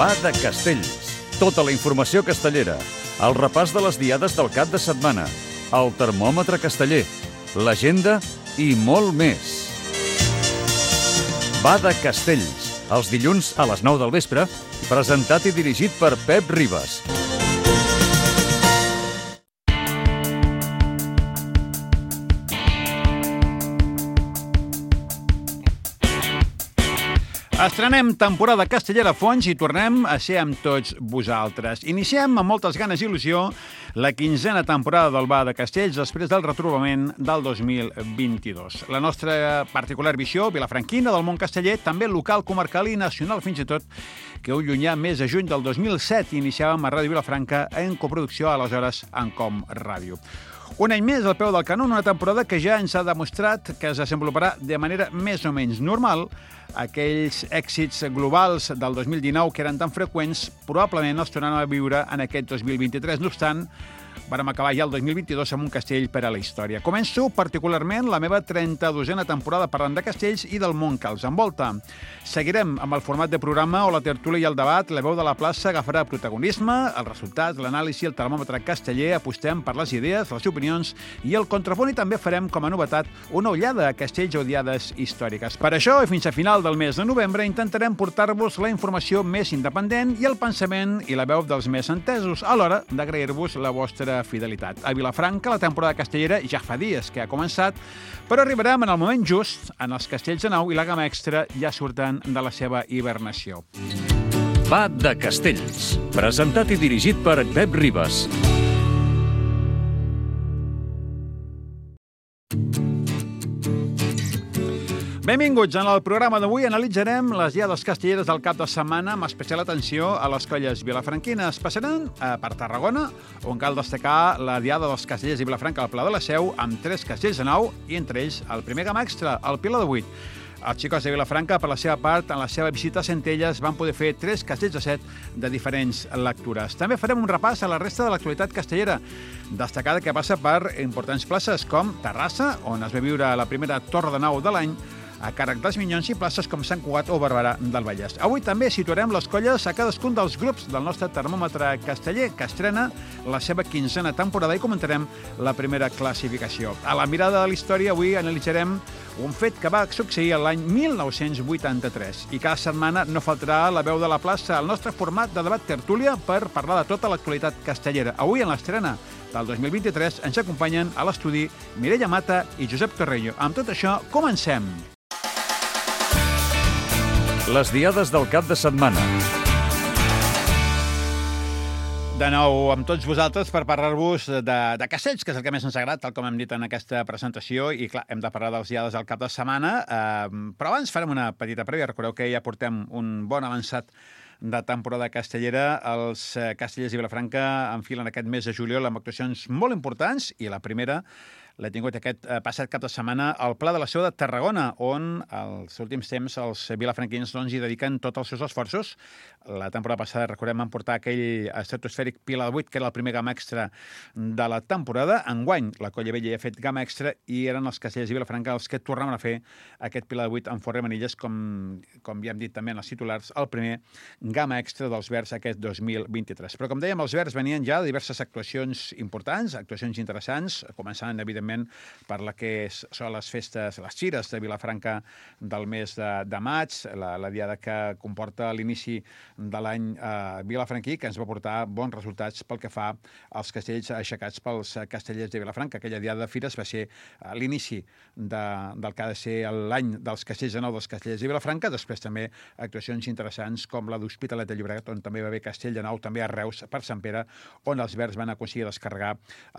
Va de Castells. Tota la informació castellera, el repàs de les diades del cap de setmana, el termòmetre casteller, l'agenda i molt més. Va de Castells, els dilluns a les 9 del vespre, presentat i dirigit per Pep Ribas. Estrenem temporada castellera a fons i tornem a ser amb tots vosaltres. Iniciem amb moltes ganes i il·lusió la 15a temporada del Va de Castells després del retrobament del 2022. La nostra particular visió vilafranquina del món casteller, també local, comarcal i nacional fins i tot, que un llunyà mes de juny del 2007 iniciàvem a Ràdio Vilafranca en coproducció aleshores en Com Ràdio. Un any més al peu del canó, una temporada que ja ens ha demostrat que es desenvoluparà de manera més o menys normal. Aquells èxits globals del 2019 que eren tan freqüents probablement els tornaran a viure en aquest 2023. No obstant, vàrem acabar ja el 2022 amb un castell per a la història. Començo particularment la meva 32a temporada parlant de castells i del món que els envolta. Seguirem amb el format de programa o la tertúlia i el debat. La veu de la plaça agafarà protagonisme, els resultats, l'anàlisi, el termòmetre casteller, apostem per les idees, les opinions i el contrapunt, i també farem com a novetat una ullada a castells o diades històriques. Per això, i fins a final del mes de novembre, intentarem portar-vos la informació més independent i el pensament i la veu dels més entesos, a l'hora d'agrair-vos la vostra fidelitat. A Vilafranca, la temporada castellera ja fa dies que ha començat, però arribarem en el moment just en els castells de nau i la gamma extra ja surten de la seva hibernació. Va de Castells, presentat i dirigit per Pep Ribas. Benvinguts. En el programa d'avui analitzarem les diades castelleres del cap de setmana amb especial atenció a les colles vilafranquines. Passaran per Tarragona, on cal destacar la diada dels castellers de Vilafranca al Pla de la Seu, amb 3 castells de nau i entre ells el primer gamma extra, el Pilar de 8. Els xicots de Vilafranca, per la seva part, en la seva visita a Centelles, van poder fer 3 castells de 7 de diferents lectures. També farem un repàs a la resta de l'actualitat castellera, destacada que passa per importants places com Terrassa, on es va viure la primera torre de nau de l'any, a càrrec dels Minyons, i places com Sant Cugat o Barberà del Vallès. Avui també situarem les colles a cadascun dels grups del nostre termòmetre casteller, que estrena la seva 15a temporada, i comentarem la primera classificació. A la mirada de la història, avui analitzarem un fet que va succeir l'any 1983. I cada setmana no faltarà la veu de la plaça, el nostre format de debat tertúlia per parlar de tota l'actualitat castellera. Avui, en l'estrena del 2023, ens acompanyen a l'estudi Mireia Mata i Josep Torrello. Amb tot això, comencem! Les diades del cap de setmana. De nou amb tots vosaltres per parlar-vos de castells, que és el que més ens agrada, tal com hem dit en aquesta presentació, i clar, hem de parlar dels diades del cap de setmana, però abans farem una petita prèvia. Recordeu que ja portem un bon avançat de temporada castellera. Els castellers de Vilafranca enfilen aquest mes de juliol amb actuacions molt importants, i la primera l'he tingut aquest passat cap de setmana al Pla de la Seu de Tarragona, on els últims temps els vilafranquins hi dediquen tots els seus esforços. La temporada passada, recordem, van portar aquell estratosfèric Pilar de 8, que era el primer gamma extra de la temporada. Enguany, la Colla Vella ha fet gamma extra i eren els castellers de Vilafranca els que tornaven a fer aquest Pilar de 8 amb Forre Manilles, com ja hem dit també en els titulars, el primer gamma extra dels Verds aquest 2023. Però, com dèiem, els Verds venien ja de diverses actuacions importants, actuacions interessants, començant, evidentment, per la que són les festes, les xires de Vilafranca del mes de maig, la diada que comporta l'inici de l'any vilafranquí, que ens va portar bons resultats pel que fa als castells aixecats pels castellers de Vilafranca. Aquella diada de fires va ser l'inici del que ha de ser l'any dels castells de nou dels castellers de Vilafranca. Després també actuacions interessants com la d'Hospitalet de Llobregat, on també va haver castell de nou, també a Reus, per Sant Pere, on els Verds van aconseguir descarregar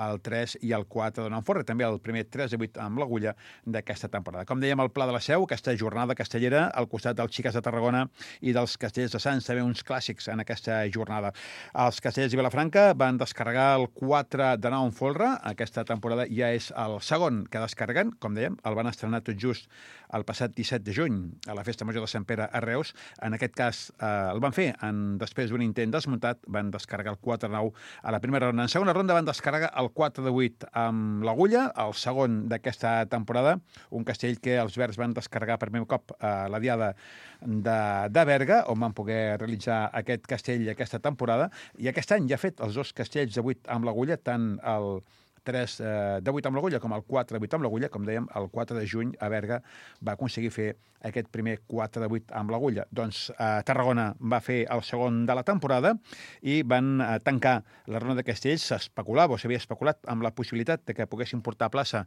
el 3 i el 4 de Forre, també el primer 3 de 8 amb l'agulla d'aquesta temporada. Com dèiem, al Pla de la Seu, aquesta jornada castellera, al costat dels Xiques de Tarragona i dels castellers de Sants, també uns clàssics en aquesta jornada. Els castellers de Vilafranca van descarregar el 4 de 9 en folre. Aquesta temporada ja és el segon que descarreguen. Com dèiem, el van estrenar tot just el passat 17 de juny a la Festa Major de Sant Pere a Reus. En aquest cas el van fer després d'un intent desmuntat, van descarregar el 4 de 9 a la primera ronda. En segona ronda van descarregar el 4 de 8 amb l'agulla, Colla, el segon d'aquesta temporada, un castell que els verds van descarregar per primer cop a la diada de Berga, on van poder realitzar aquest castell aquesta temporada, i aquest any ja ha fet els 2 castells de 8 amb l'agulla, tant el 3 de 8 amb l'agulla com el 4 de 8 amb l'agulla. Com dèiem, el 4 de juny a Berga va aconseguir fer aquest primer 4 de 8 amb l'agulla. Doncs Tarragona va fer el segon de la temporada i van tancar la ronda de castells. S'especulava o s'havia especulat amb la possibilitat de que poguessin portar a plaça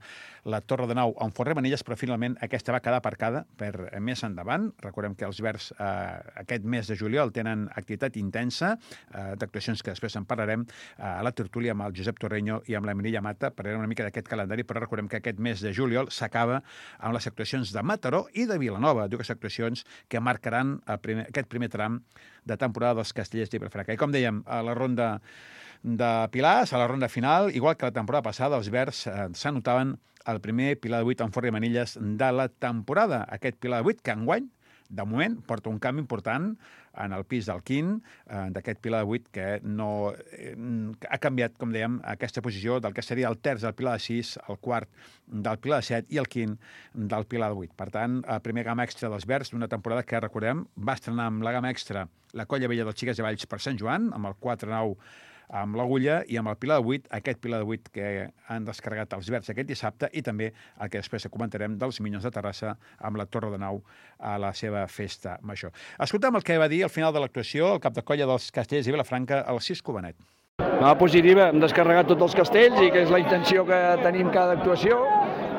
la Torre de Nau amb Forremanilles, però finalment aquesta va quedar aparcada per més endavant. Recordem que els verds aquest mes de juliol tenen activitat intensa d'actuacions que després en parlarem a la tertúlia amb el Josep Torreño i amb la Mireia Mata, parlarem una mica d'aquest calendari, però recordem que aquest mes de juliol s'acaba amb les actuacions de Mataró i de Vilanova, dues actuacions que marcaran aquest primer tram de temporada dels Castellers de Vilafranca. I com dèiem, a la ronda de pilars, a la ronda final, igual que la temporada passada, els verds s'anotaven el primer pilar de 8 amb Forra i Manilles de la temporada. Aquest pilar de 8 que enguany, de moment, porta un canvi important en el pis del quint, d'aquest pilar de 8 que no ha canviat, com dèiem, aquesta posició del que seria el terç del pilar de 6, el quart del pilar de 7 i el quint del pilar de 8. Per tant, el primer gamma extra dels verds d'una temporada que, recordem, va estrenar amb la gamma extra la Colla Vella dels Xiques de Valls per Sant Joan, amb el 4-9 amb l'agulla, i amb el pilar de 8, aquest pilar de 8 que han descarregat els verds aquest dissabte, i també el que després comentarem dels Minyons de Terrassa amb la Torre de Nau a la seva festa major. Escolta'm el que va dir al final de l'actuació el cap de colla dels Castellers i Vilafranca, el Cisco Benet. Una positiva, hem descarregat tots els castells i que és la intenció que tenim cada actuació,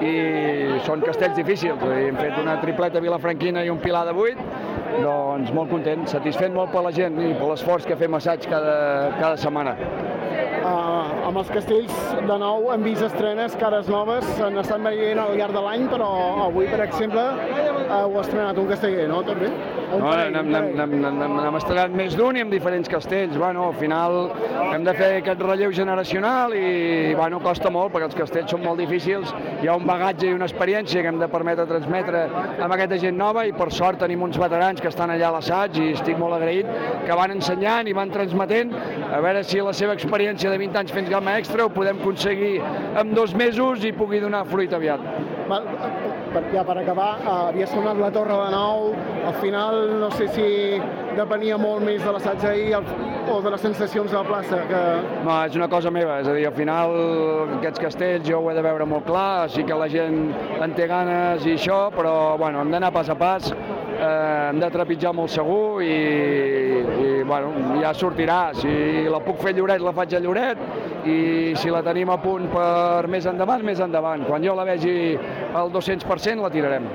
i són castells difícils. Hem fet una tripleta vilafranquina i un pilar de 8, doncs molt content, satisfet molt per la gent i per l'esforç que fem assaig cada setmana. Amb els castells, de nou, hem vist estrenes, cares noves, s'han estat veient al llarg de l'any, però avui, per exemple, heu estrenat un casteller, no? També? No, n'hem estrenat més d'un i amb diferents castells. Bueno, al final hem de fer aquest relleu generacional i costa molt perquè els castells són molt difícils. Hi ha un bagatge i una experiència que hem de permetre transmetre amb aquesta gent nova, i per sort tenim uns veterans que estan allà a l'assaig i estic molt agraït, que van ensenyant i van transmetent, a veure si la seva experiència de 20 anys fent gamma extra ho podem aconseguir en 2 mesos i pugui donar fruit aviat. Per acabar, havia sonat la Torre de Nou, al final no sé si depenia molt més de l'assaig ahir o de les sensacions de la plaça. No, és una cosa meva, és a dir, al final aquests castells jo ho he de veure molt clar, sí que la gent en té ganes i això, però hem d'anar pas a pas, hem de trepitjar molt segur i ja sortirà. Si la puc fer a Lloret, la faig a Lloret, i si la tenim a punt per més endavant, més endavant. Quan jo la vegi al 200% la tirarem.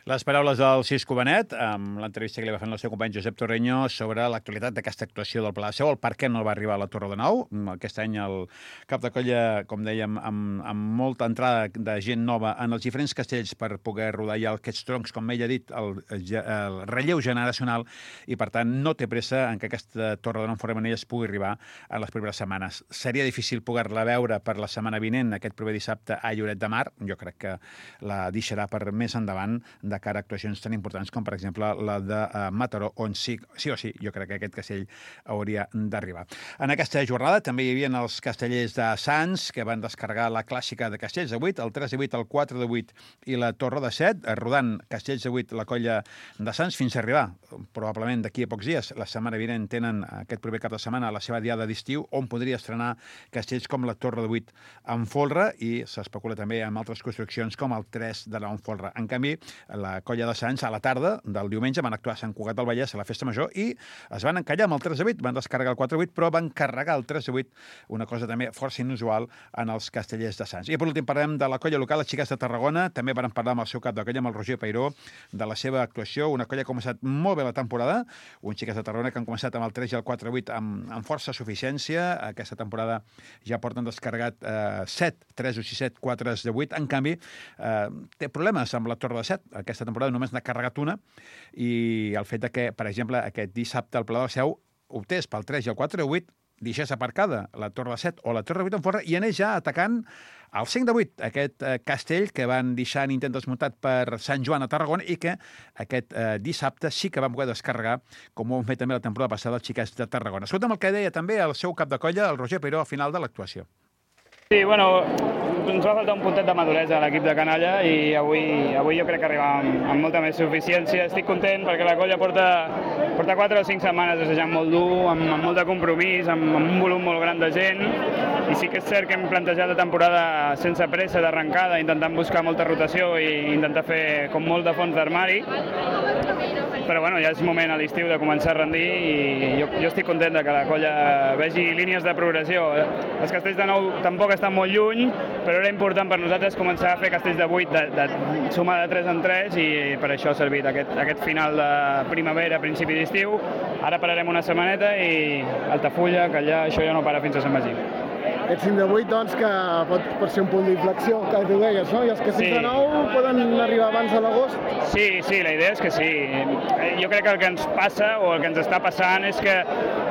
Les paraules del Cisco Benet, amb l'entrevista que li va fer el seu company Josep Torreño sobre l'actualitat d'aquesta actuació del Pla de Seu, el per què no va arribar a la Torre de Nou. Aquest any el cap de colla, com dèiem, amb molta entrada de gent nova en els diferents castells per poder rodar ja aquests troncs, com ell ha dit, el relleu generacional, i per tant no té pressa en que aquesta Torre de Nou Forremanilles pugui arribar en les primeres setmanes. Seria difícil poder-la veure per la setmana vinent, aquest proper dissabte a Lloret de Mar. Jo crec que la deixarà per més endavant de cara a actuacions tan importants com, per exemple, la de Mataró, on sí o sí, jo crec que aquest castell hauria d'arribar. En aquesta jornada també hi havia els castellers de Sants, que van descarregar la clàssica de castells de 8, el 3 de 8, el 4 de 8 i la Torre de 7, rodant castells de 8 la colla de Sants fins a arribar, probablement d'aquí a pocs dies, la setmana vinent tenen aquest proper cap de setmana la seva diada d'estiu, on podria estrenar castells com la Torre de 8 amb folre, i s'especula també amb altres construccions com el 3 de 9 amb folre. En canvi, la colla de Sants a la tarda del diumenge van actuar a Sant Cugat del Vallès a la festa major i es van encallar amb el 3 de 8, van descarregar el 4 de 8, però van carregar el 3 de 8, una cosa també força inusual en els castellers de Sants. I per últim parlem de la colla local, les Xiques de Tarragona. També van parlar amb el seu cap de colla, amb el Roger Peiró, de la seva actuació, una colla que ha començat molt bé la temporada, uns Xiques de Tarragona que han començat amb el 3 i el 4 de 8 amb força suficiència. Aquesta temporada ja porten descarregat 7, 3 o 6, 7, 4 de 8. En canvi, té problemes amb la Torre de 7. Aquesta temporada només n'ha carregat una, i el fet que, per exemple, aquest dissabte al Pla de la Seu optés pel 3 i el 4 de 8, deixés aparcada la Torre de 7 o la Torre de 8 en forra i anés ja atacant el 5 de 8, aquest castell que van deixar en intent desmuntat per Sant Joan a Tarragona i que aquest dissabte sí que van poder descarregar, com ho han fet també la temporada passada els Xiquets de Tarragona. Escolta'm el que deia també el seu cap de colla, el Roger Peiró, al final de l'actuació. Sí, bueno, ens va faltar un puntet de maduresa a l'equip de canalla i avui jo crec que arribàvem amb molta més suficiència. Estic content perquè la colla porta 4 o 5 setmanes assajant molt dur, amb molt de compromís, amb un volum molt gran de gent, i sí que és cert que hem plantejat la temporada sense pressa d'arrencada, intentant buscar molta rotació i intentar fer com molt de fons d'armari, però bueno, ja és moment a l'estiu de començar a rendir i jo estic content que la colla vegi línies de progressió. Els castells de nou tampoc estan molt lluny, però era important per nosaltres començar a fer castells de 8, de sumar de 3 en 3, i per això ha servit aquest final de primavera, principi d'estiu. Ara pararem una setmaneta i Altafulla, Callar, això ja no para fins a Sant Magí. Aquest 5 de 8, doncs, que pot ser un punt d'inflexió, que tu deies, no? I els castells de nou poden arribar abans de l'agost? Sí, la idea és que sí. Jo crec que el que ens passa, o el que ens està passant, és que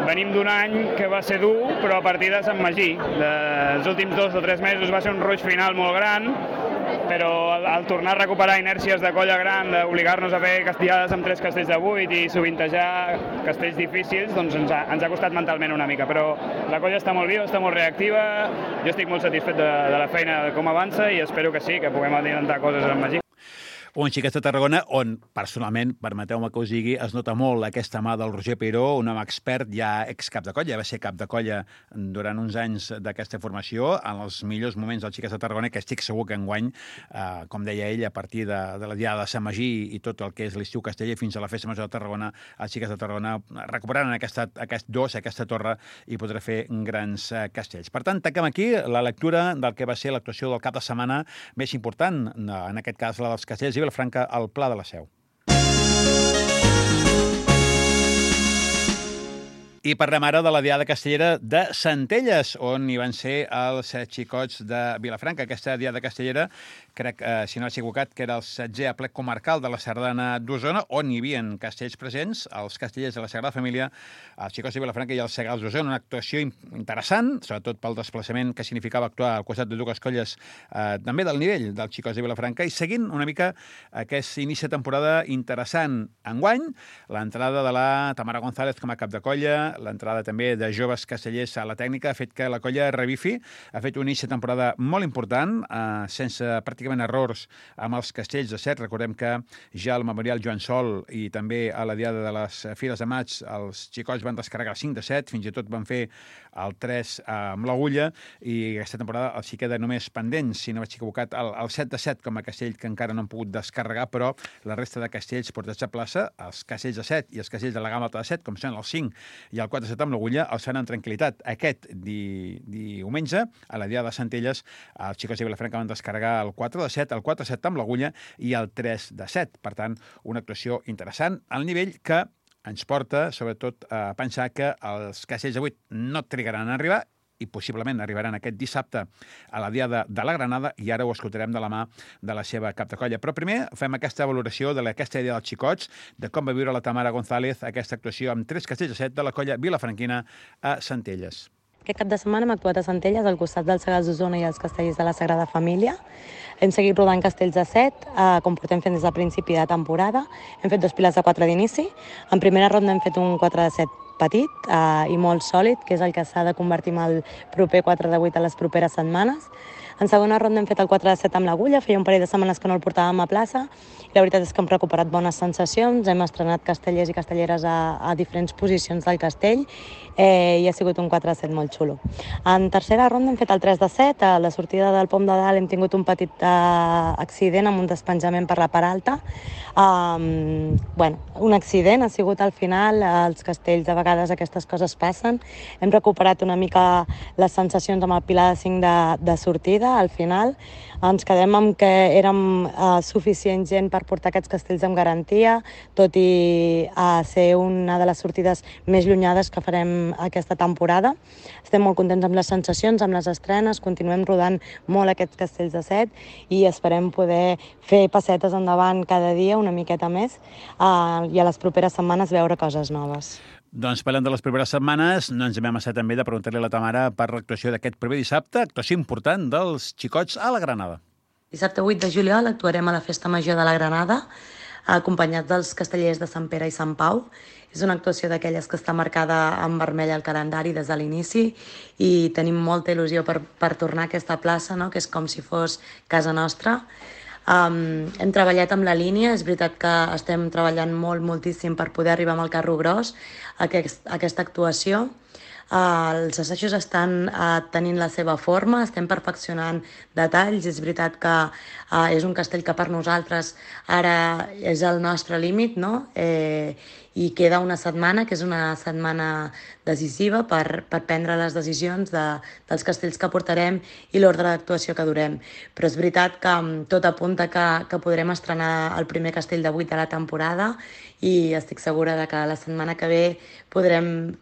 venim d'un any que va ser dur, però a partir de Sant Magí. Els últims 2 o 3 mesos va ser un ruix final molt gran, però al tornar a recuperar inèrcies de colla gran, d'obligar-nos a fer castellades amb 3 castells de 8 i sovintejar castells difícils, doncs ens ha costat mentalment una mica, però la colla està molt viva, està molt reactiva, jo estic molt satisfet de la feina, de com avança, i espero que sí, que puguem adelantar coses a Sant Magí. Un Xiquets de Tarragona on, personalment, permeteu-me que us digui, es nota molt aquesta mà del Roger Peiró, un home expert, ja excap de colla, va ser cap de colla durant uns anys d'aquesta formació, en els millors moments del Xiquets de Tarragona, que estic segur que enguany, com deia ell, a partir de la diada de Sant Magí i tot el que és l'estiu casteller fins a la festa major de Tarragona, els Xiquets de Tarragona recuperaran aquesta torre i podrà fer grans castells. Per tant, tanquem aquí la lectura del que va ser l'actuació del cap de setmana més important, en aquest cas la dels castells i Vilafranca al Pla de la Seu. I parlem ara de la Diada Castellera de Centelles, on hi van ser els xicots de Vilafranca. Aquesta Diada Castellera, crec, si no he equivocat, que era el 16è aplec comarcal de la Sardana d'Osona, on hi havia castells presents, els castellers de la Sagrada Família, els xicots de Vilafranca i els Segals d'Osona. Una actuació interessant, sobretot pel desplaçament que significava actuar al costat de dues colles també del nivell dels xicots de Vilafranca, i seguint una mica aquest inici de temporada interessant enguany, l'entrada de la Tamara González com a cap de colla, l'entrada també de joves castellers a la tècnica ha fet que la colla revifi, ha fet un inici de temporada molt important, sense pràcticament errors amb els castells de set. Recordem que ja al Memorial Joan Sol i també a la Diada de les Fires de Maig els xicots van descarregar 5 de 7, fins i tot van fer el 3 amb l'Agulla, i aquesta temporada els hi queda només pendents, si no vaig equivocat, el 7 de 7 com a castell que encara no han pogut descarregar, però la resta de castells portats a plaça, els castells de 7 i els castells de la gamma alta de 7, com són el 5 i el 4 de 7 amb l'Agulla, els fan en tranquil·litat. Aquest diumenge, a la Diada de Centelles, els xicots de Vilafranca van descarregar el 4 de 7, el 4 de 7 amb l'Agulla i el 3 de 7. Per tant, una actuació interessant al nivell que ens porta, sobretot, a pensar que els castells de 8 no trigaran a arribar i possiblement arribaran aquest dissabte a la Diada de la Granada, i ara ho escoltarem de la mà de la seva cap de colla. Però primer fem aquesta valoració d'aquesta idea dels xicots, de com va viure la Tamara González aquesta actuació amb 3 castells de 7 de la colla vilafranquina a Centelles. Aquest cap de setmana hem actuat a Centelles, al costat dels Segals d'Osona i els castells de la Sagrada Família. Hem seguit rodant castells de 7, com portem fent des del principi de temporada. Hem fet 2 piles de 4 d'inici. En primera ronda hem fet un 4 de 7 petit i molt sòlid, que és el que s'ha de convertir en el proper 4 de 8 a les properes setmanes. En segona ronda hem fet el 4 de 7 amb l'Agulla, feia un parell de setmanes que no el portàvem a plaça, i la veritat és que hem recuperat bones sensacions, hem estrenat castellers i castelleres a diferents posicions del castell, i ha sigut un 4 de 7 molt xulo. En tercera ronda hem fet el 3 de 7, a la sortida del pom de dalt hem tingut un petit accident amb un despenjament per la part alta. Un accident ha sigut al final, als castells de vegades aquestes coses passen. Hem recuperat una mica les sensacions amb el pilar de 5 de sortida. Al final ens quedem amb que érem suficient gent per portar aquests castells amb garantia, tot i ser una de les sortides més llunyades que farem aquesta temporada. Estem molt contents amb les sensacions, amb les estrenes, continuem rodant molt aquests castells de 7 i esperem poder fer passetes endavant cada dia una miqueta més i a les properes setmanes veure coses noves. Doncs parlant de les properes setmanes, no ens hem amassat també de preguntar-li a la Tamara per l'actuació d'aquest proper dissabte, actuació important dels xicots a la Granada. Dissabte 8 de juliol actuarem a la Festa Major de la Granada. acompanyats dels Castellers de Sant Pere i Sant Pau. És una actuació d'aquelles que està marcada en vermell al calendari des de l'inici i tenim molta il·lusió per tornar a aquesta plaça, no? Que és com si fos casa nostra. Hem treballat amb la línia, és veritat que estem treballant moltíssim per poder arribar amb el carro gros a aquesta actuació. Els assajos estan tenint la seva forma, estem perfeccionant detalls. És veritat que és un castell que per nosaltres ara és el nostre límit, no? I queda una setmana, que és una setmana decisiva per prendre les decisions dels castells que portarem i l'ordre d'actuació que durem. Però és veritat que tot apunta que podrem estrenar el primer castell de 8 de la temporada i estic segura de que la setmana que ve podrem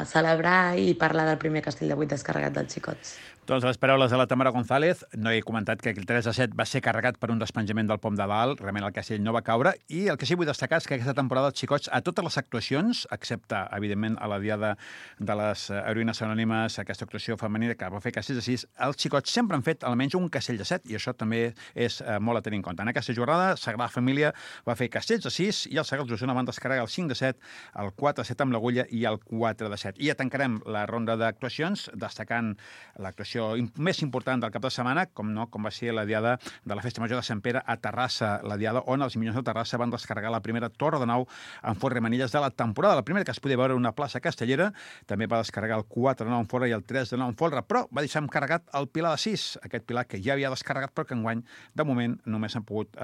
celebrar i parlar del primer castell de 8 descarregat dels xicots. Doncs les paraules de la Tamara González. No he comentat que el 3-7 va ser carregat per un despenjament del pom de dalt. Realment el castell no va caure. I el que sí vull destacar és que aquesta temporada els xicots, a totes les actuacions, excepte, evidentment, a la diada de les heroïnes anònimes, aquesta actuació femenina que va fer castells de 6, els xicots sempre han fet almenys un castell de 7 i això també és molt a tenir en compte. En aquesta jornada, Sagrada Família va fer castells de 6 i els Segarra d'Osona van descarregar el 5 de 7, el 4 de 7 amb l'agulla i el 4 de 7. I ja tancarem la ronda d'actuacions destacant l'actuació més important del cap de setmana, com va ser la diada de la Festa Major de Sant Pere a Terrassa, la diada on els Minyons de Terrassa van descarregar la primera torre de nau amb forra i manilles de la temporada. La primera que es podia veure una plaça castellera, també va descarregar el 4 de nau amb forra i el 3 de nau amb folre, però va deixar carregat el pilar de 6, aquest pilar que ja havia descarregat, però que enguany, de moment, només han pogut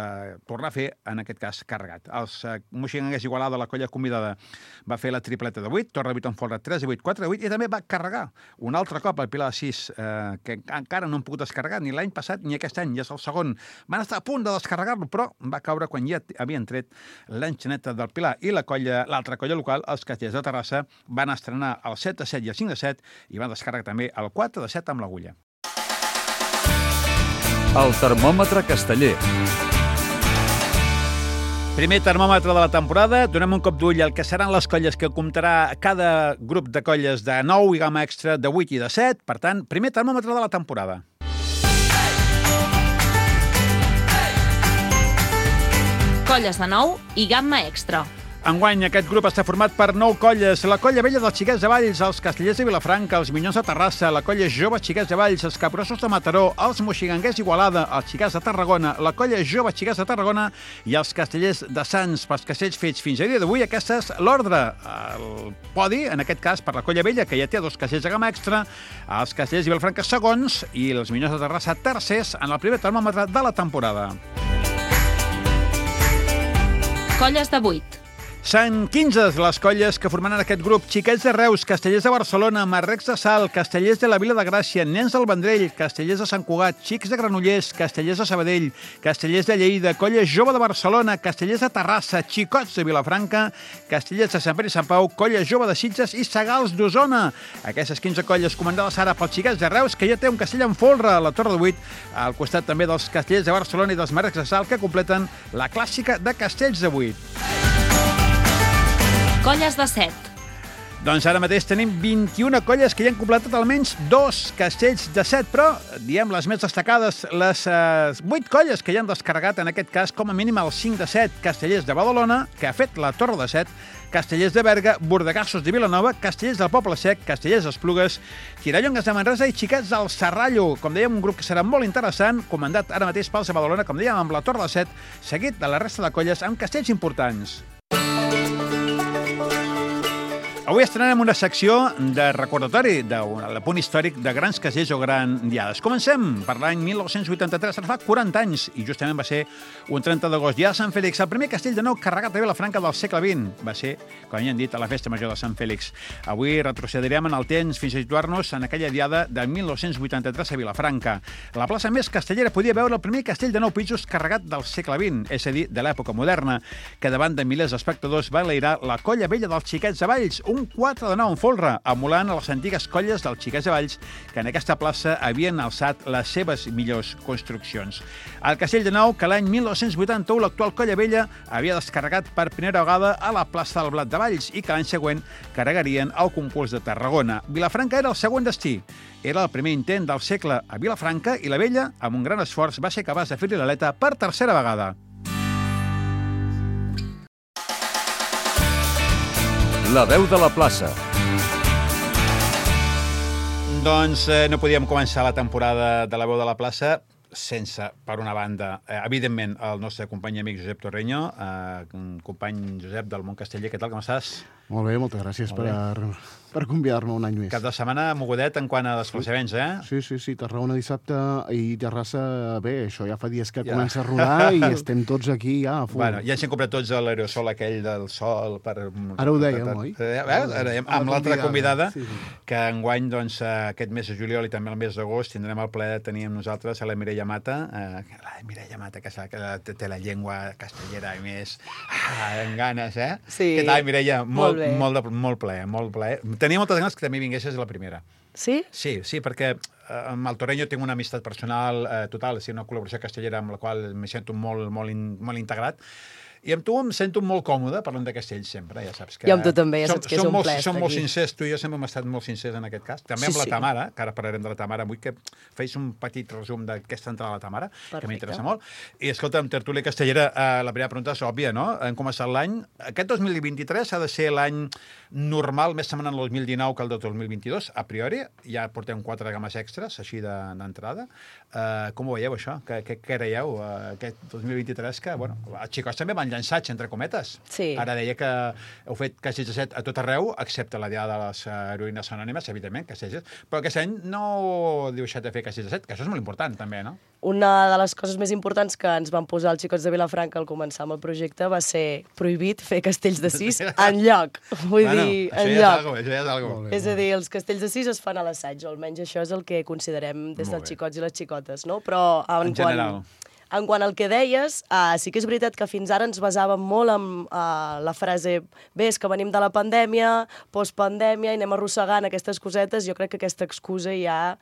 tornar a fer, en aquest cas, carregat. Els Moixigangers Igualada, la colla convidada, va fer la tripleta de 8, torre de 8 amb folre, 3 de 8, 4 de 8, i també va carregar un altre cop el pilar de 6, que encara no han pogut descarregar ni l'any passat ni aquest any, ja és el segon. Van estar a punt de descarregar-lo, però va caure quan ja havien tret l'enxaneta del pilar. I l'altra colla local, els Castellers de Terrassa, van estrenar el 7 de 7 i el 5 de 7 i van descarregar també el 4 de 7 amb l'agulla. El termòmetre casteller. Primer termòmetre de la temporada, donem un cop d'ull al que seran les colles que comptarà cada grup de colles de 9 i gamma extra de 8 i de 7. Per tant, primer termòmetre de la temporada. Colles de 9 i gamma extra. Enguany, aquest grup està format per 9 colles. La colla vella dels Xiquets de Valls, els Castellers de Vilafranca, els Minyons de Terrassa, la colla jove Xiquets de Valls, els Capgrossos de Mataró, els Moixigangers Igualada, els Xiquets de Tarragona, la colla jove Xiquets de Tarragona i els Castellers de Sants. Pels castells fets fins a dia d'avui, aquesta és l'ordre. El podi, en aquest cas, per la colla vella, que ja té 2 castells de gamma extra, els Castellers de Vilafranca segons i els Minyons de Terrassa tercers en el primer termòmetre de la temporada. Colles de 8. Són 15 les colles que formaran aquest grup. Xiquets de Reus, Castellers de Barcelona, Marrecs de Salt, Castellers de la Vila de Gràcia, Nens del Vendrell, Castellers de Sant Cugat, Xics de Granollers, Castellers de Sabadell, Castellers de Lleida, Colla Jove de Barcelona, Castellers de Terrassa, Xicots de Vilafranca, Castellers de Sant Pere i Sant Pau, Colla Jove de Sitges i Segals d'Osona. Aquestes 15 colles comandades ara pels Xiquets de Reus, que ja té un castell en folre a la Torre de 8, al costat també dels Castellers de Barcelona i dels Marrecs de Salt, que completen la clàssica de castells de 8. Colles de 7. Doncs ara mateix tenim 21 colles que ja han completat almenys 2 castells de 7, però, diem, les més destacades, les 8 colles que ja han descarregat, en aquest cas, com a mínim el 5 de 7, Castellers de Badalona, que ha fet la Torre de 7, Castellers de Berga, Bordegassos de Vilanova, Castellers del Poble Sec, Castellers d'Esplugues, Tirallongues de Manresa i Xiquets del Serrallo. Com dèiem, un grup que serà molt interessant, comandat ara mateix pels de Badalona, com dèiem, amb la Torre de 7, seguit de la resta de colles amb castells importants. Avui estrenem una secció de recordatori del punt històric de grans castells o grans diades. Comencem per l'any 1983, ara fa 40 anys, i justament va ser un 30 d'agost. Diada de Sant Fèlix, el primer castell de nou carregat a Vilafranca del segle XX. Va ser, com ja hem dit, a la Festa Major de Sant Fèlix. Avui retrocedirem en el temps fins a situar-nos en aquella diada de 1983 a Vilafranca. La plaça més castellera podia veure el primer castell de 9 pisos carregat del segle XX, és a dir, de l'època moderna, que davant de milers d'espectadors va enlairar la colla vella dels Xiquets de Valls, un 4 de 9 en folre, emulant a les antigues colles dels Xiquets de Valls que en aquesta plaça havien alçat les seves millors construccions. El castell de Nou, que l'any 1981 l'actual colla vella havia descarregat per primera vegada a la plaça del Blat de Valls i que l'any següent carregarien al concurs de Tarragona. Vilafranca era el següent destí. Era el primer intent del segle a Vilafranca i la vella, amb un gran esforç, va ser capaç de fer-li l'aleta per tercera vegada. La veu de la plaça. Doncs no podíem començar la temporada de La veu de la plaça sense, per una banda, evidentment, el nostre company i amic Josep Torreño, company Josep del Món Casteller. Què tal, com estàs? Molt bé, moltes gràcies per convidar-me un any més. Cap de setmana mogudet en quant a desplaçaments, Sí, Tarragona dissabte i Terrassa, bé, això ja fa dies que comença a rodar i estem tots aquí ja a full. Bueno, ja ens hem comprat tots l'aerosol aquell del sol per... Ara ho dèiem, oi? Amb l'altra convidada, que enguany, doncs, aquest mes de juliol i també el mes d'agost tindrem el plaer de tenir amb nosaltres a la Mireia Mata, que té la llengua castellera i més amb ganes, Sí. Què tal, Mireia? Molt plaer, molt plaer. Tenia moltes ganes que també vinguessis a la primera. Sí? Sí, perquè amb el Torreño tinc una amistat personal total, una col·laboració castellera amb la qual me sento molt integrat. I amb tu em sento molt còmode parlant de castells sempre, ja saps que... I amb tu també, ja saps que és un plaer estar Som molt aquí. sincers, tu i jo sempre hem estat molt sincers en aquest cas. També amb la Tamara, que ara parlarem de la Tamara, vull que feis un petit resum d'aquesta entrada a la Tamara, que m'interessa molt. I escolta, amb tertúlia castellera, la primera pregunta és òbvia, no? Hem començat l'any. Aquest 2023 ha de ser l'any normal, més semblant al 2019 que el del 2022, a priori. Ja portem 4 games extres, així d'entrada. Com ho veieu, això? Què creieu? Aquest 2023 que, bueno, els xicots també van llançats, entre cometes. Sí. Ara deia que heu fet Castells de 7 a tot arreu, excepte la Diada de les Heroïnes Anònimes, evidentment, Castells de 7, però aquest any no heu deixat de fer Castells de 7, que això és molt important, també, no? Una de les coses més importants que ens van posar els xicots de Vilafranca al començar amb el projecte va ser prohibit fer castells de 6 enlloc. Vull dir, enlloc. Això ja és algo. És a dir, els castells de 6 es fan a l'assaig, o almenys això és el que considerem des dels xicots i les xicotes, no? Però en general. En quant al que deies, sí que és veritat que fins ara ens basàvem molt en la frase bé, és que venim de la pandèmia, postpandèmia, i anem arrossegant aquestes cosetes. Jo crec que aquesta excusa ja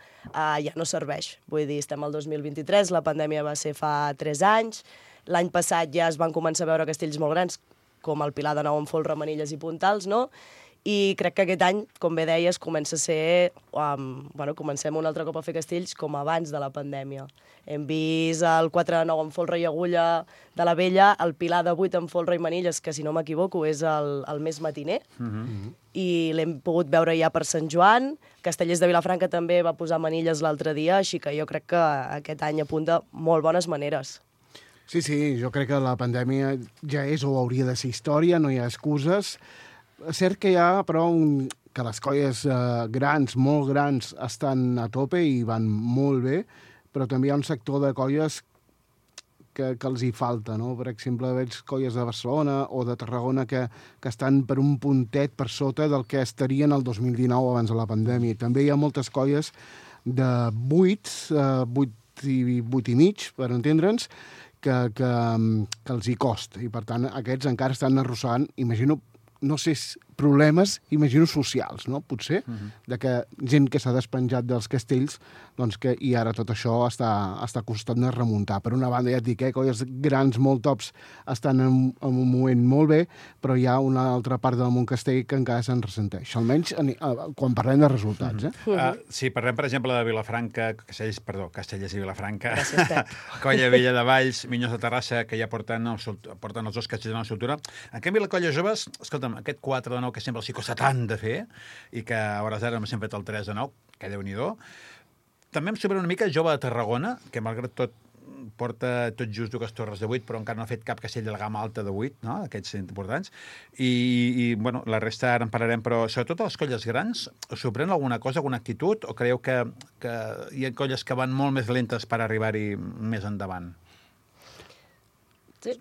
no serveix. Vull dir, estem al 2023, la pandèmia va ser fa 3 anys, l'any passat ja es van començar a veure castells molt grans, com el Pilar de Nou amb Folre, Manilles i Puntals, no? I crec que aquest any, com bé deies, comença a ser... comencem un altre cop a fer castells com abans de la pandèmia. Hem vist el 4 de 9 amb Folre i Agulla de la Vella, el Pilar de 8 amb Folre i Manilles, que si no m'equivoco és el més matiner, i l'hem pogut veure ja per Sant Joan. Castellers de Vilafranca també va posar Manilles l'altre dia, així que jo crec que aquest any apunta molt bones maneres. Sí, jo crec que la pandèmia ja és o hauria de ser història, no hi ha excuses. És cert que hi ha, però, que les colles grans, molt grans, estan a tope i van molt bé, però també hi ha un sector de colles que els hi falta, no? Per exemple, veig colles de Barcelona o de Tarragona que estan per un puntet per sota del que estarien el 2019 abans de la pandèmia. També hi ha moltes colles de 8 i mig, per entendre'ns, que els hi costa. I, per tant, aquests encara estan arrossegant, imagino, no sé, problemes, imagino, socials, no? Potser, de que gent que s'ha despenjat dels castells, doncs que, i ara tot això està costant de remuntar. Per una banda, ja et dic, colles grans molt tops estan en un moment molt bé, però hi ha una altra part del món castell que encara se'n ressenteix, almenys quan parlem de resultats. Si parlem, per exemple, de Vilafranca, Castellers i Vilafranca, gràcies, Pep. Colla Vella de Valls, Minyons de Terrassa, que ja porten els 2 castells de la soltura. En canvi, la colla joves, escolta'm, aquest 4 de 9 que sempre els hi costa tant de fer, i que a hores d'ara hem fet el 3 de 9, que Déu-n'hi-do. També em sobra una mica Jove de Tarragona, que malgrat tot porta tot just 2 torres de 8, però encara no ha fet cap castell de la gamma alta de 8, no? Aquests importants. I bueno, la resta ara en parlarem, però sobretot a les colles grans, us sorprèn alguna cosa, alguna actitud, o creieu que hi ha colles que van molt més lentes per arribar-hi més endavant? Sí.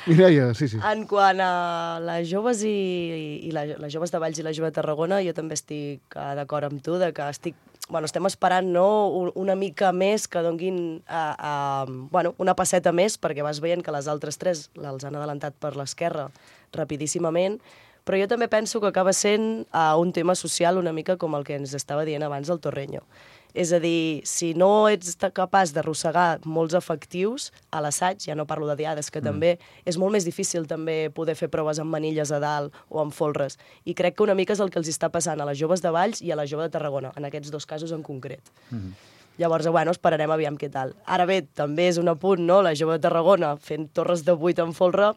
Mireia, sí. En quant a les joves i les joves de Valls i la jove de Tarragona, jo també estic d'acord amb tu, de que estem esperant una mica més que donguin una passeta més, perquè vas veient que les altres 3 els han adelantat per l'esquerra rapidíssimament, però jo també penso que acaba sent un tema social una mica com el que ens estava dient abans el Torreño. És a dir, si no ets capaç d'arrossegar molts efectius a l'assaig, ja no parlo de diades, que també és molt més difícil també poder fer proves amb manilles a dalt o amb folres. I crec que una mica és el que els està passant a les joves de Valls i a la jove de Tarragona, en aquests 2 casos en concret. Llavors, esperarem aviam què tal. Ara bé, també és un apunt, no?, la jove de Tarragona fent torres de 8 en folre,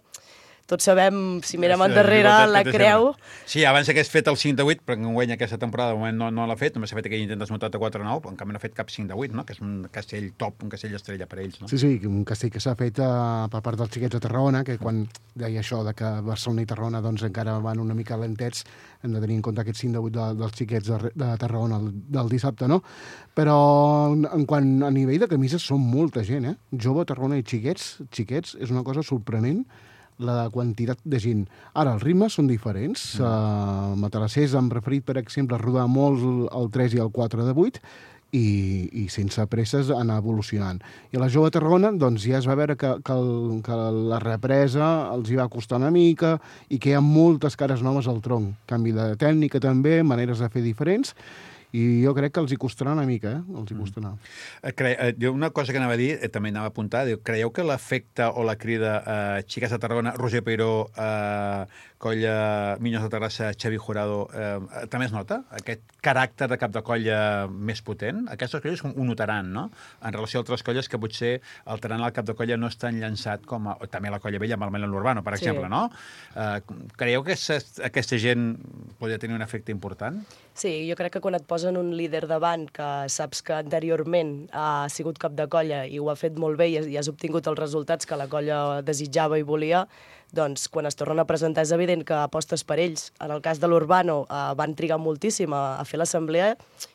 tots sabem, si mirem endarrere, la creu... Sí, abans hagués fet el 5 de 8, però en guany aquesta temporada de moment no l'ha fet, només s'ha fet aquell intent desmuntat de 4-9, però en canvi no ha fet cap 5 de 8, no? Que és un castell top, un castell estrella per ells, no? Sí, un castell que s'ha fet per part dels xiquets de Tarragona, que quan deia això de que Barcelona i Tarragona doncs encara van una mica lentets, hem de tenir en compte aquest 5 de 8 dels xiquets de Tarragona del dissabte, no? Però en quant a nivell de camises són molta gent, Jove, Tarragona i xiquets, és una cosa sorprenent la quantitat de gent. Ara, els ritmes són diferents. Matalassers han preferit, per exemple, rodar molt el 3 i el 4 de 8 i sense presses anar evolucionant. I a la Jove Tarragona doncs, ja es va veure que la represa els hi va costar una mica i que hi ha moltes cares noves al tronc. Canvi de tècnica també, maneres de fer diferents, i jo crec que els hi costarà una mica, els hi costarà. Una cosa que anava a dir, també anava a apuntar, creieu que l'efecte o la crida Xiques de Tarragona, Roger Peiró, colla Minyons de Terrassa, Xavi Jurado, també es nota aquest caràcter de cap de colla més potent? Aquestes colles ho notaran, no? En relació a altres colles que potser el Taran al cap de colla no és tan llançat com també la colla vella amb el Melon Urbano, per exemple, no? Creieu que aquesta gent podria tenir un efecte important? Sí, jo crec que quan et posen un líder davant que saps que anteriorment ha sigut cap de colla i ho ha fet molt bé i has obtingut els resultats que la colla desitjava i volia, doncs quan es tornen a presentar és evident que apostes per ells. En el cas de l'Urbano van trigar moltíssim a fer l'assemblea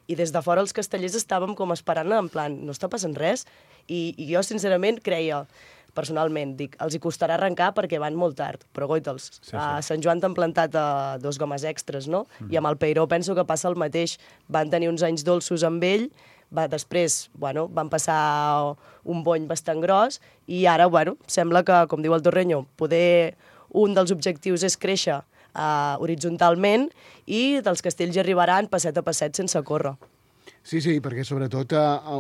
i des de fora els castellers estàvem com esperant en plan, no està passant res? I jo sincerament creia, personalment, dic, els hi costarà arrencar perquè van molt tard, però goita'ls. A Sant Joan t'han plantat 2 gomes extres, no? I amb el Peiró penso que passa el mateix. Van tenir uns anys dolços amb ell, després van passar un bony bastant gros i ara, sembla que, com diu el Torreño, poder un dels objectius és créixer horitzontalment i dels castells hi arribaran passet a passet sense córrer. Sí, perquè sobretot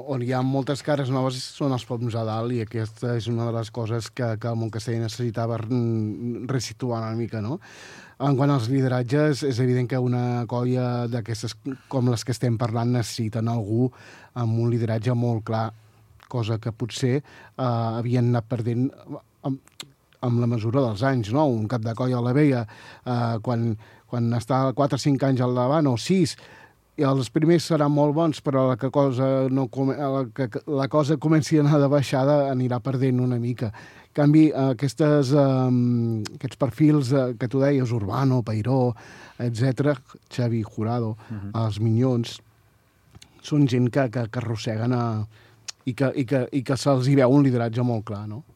on hi ha moltes cares noves són els poms a dalt i aquesta és una de les coses que el Montcastell necessitava resituar una mica, no? En quant als lideratges, és evident que una colla d'aquestes com les que estem parlant necessiten algú amb un lideratge molt clar, cosa que potser havien anat perdent amb la mesura dels anys, no? Un cap de colla a la Vella, quan està 4 o 5 anys al davant, o 6, i els primers seran molt bons, però la cosa comenci a anar de baixada anirà perdent una mica. En canvi, aquests perfils que tu deies, Urbano, Peiró, etc., Xavi Jurado, els Minyons, són gent que arrosseguen i que se'ls hi veu un lideratge molt clar, no?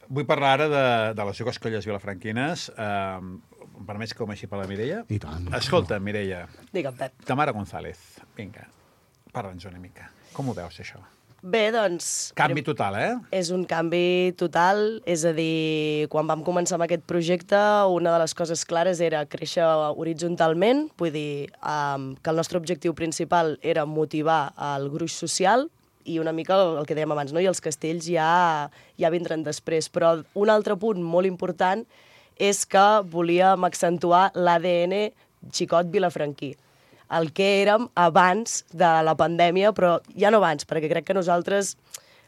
Vull parlar ara de les dues colles vilafranquines. Em permets que comenci per la Mireia? I tant. Escolta, Mireia. Digue'm, Pep. Tamara González, vinga, parla'ns una mica. Com ho veus, això? Bé, doncs... Canvi total, És un canvi total, és a dir, quan vam començar amb aquest projecte, una de les coses clares era créixer horitzontalment, vull dir que el nostre objectiu principal era motivar el gruix social, i una mica el que dèiem abans, no? I els castells ja vindran després. Però un altre punt molt important és que volíem accentuar l'ADN xicot vilafranquí. El que érem abans de la pandèmia, però ja no abans, perquè crec que nosaltres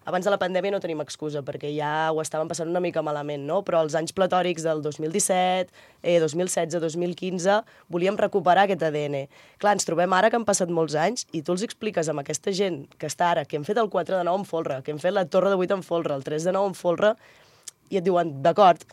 abans de la pandèmia no tenim excusa, perquè ja ho estàvem passant una mica malament, no? Però els anys platòrics del 2017, 2016, 2015, volíem recuperar aquest ADN. Clar, ens trobem ara que han passat molts anys i tu els expliques amb aquesta gent que està ara, que hem fet el 4 de 9 en folre, que hem fet la torre de 8 en folre, el 3 de 9 en folre, i et diuen, d'acord,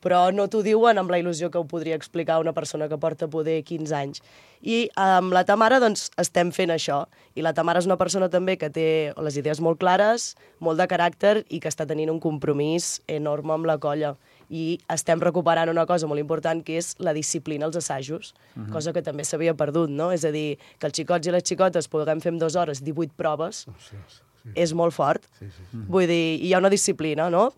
però no t'ho diuen amb la il·lusió que ho podria explicar una persona que porta poder 15 anys. I amb la Tamara doncs, estem fent això. I la Tamara és una persona també que té les idees molt clares, molt de caràcter i que està tenint un compromís enorme amb la colla. I estem recuperant una cosa molt important, que és la disciplina als assajos, cosa que també s'havia perdut, no? És a dir, que els xicots i les xicotes puguem fer en 2 hores 18 proves, és molt fort. Vull dir, hi ha una disciplina, no?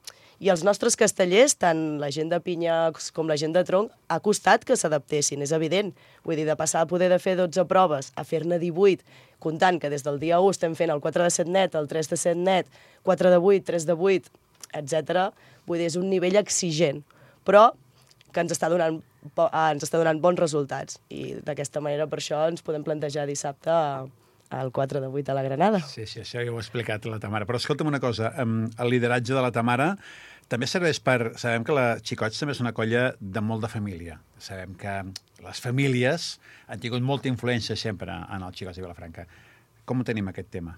I els nostres castellers, tant la gent de pinya com la gent de tronc, ha costat que s'adaptessin, és evident. Vull dir, de passar a poder de fer 12 proves a fer-ne 18, comptant que des del dia 1 estem fent el 4 de 7 net, el 3 de 7 net, 4 de 8, 3 de 8, etc. Vull dir, és un nivell exigent, però que ens està donant bons resultats. I d'aquesta manera, per això, ens podem plantejar dissabte al 4 de 8 a la Granada. Sí, això ja ho ha explicat la Tamara. Però escolta'm una cosa, el lideratge de la Tamara també serveix per... Sabem que la Xicots també és una colla de molt de família. Sabem que les famílies han tingut molta influència sempre en els Xicots de Vilafranca. Com ho tenim, aquest tema?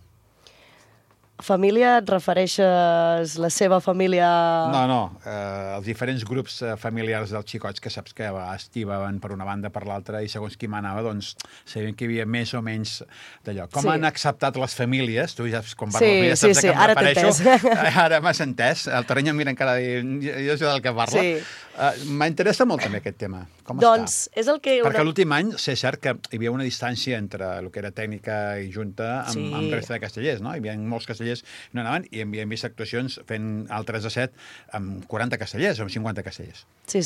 Família, et refereixes la seva família... No, els diferents grups familiars dels xicots, que saps que a vegades tibaven per una banda per l'altra i segons qui manava, doncs sabien que hi havia més o menys d'allò. Com han acceptat les famílies? Tu ja saps, quan parles de famílies, saps que em refereixo. Ara m'has entès. El Terreny em mira encara dient, jo sé del que parla. M'interessa molt també aquest tema. Com doncs està? És el que... Perquè l'últim any sé cert que hi havia una distància entre el que era tècnica i junta amb resta de castellers, no? Hi havia molts castellers no anaven i havíem vist actuacions fent el 3 a 7 amb 40 castellers o amb 50 castellers. Sí.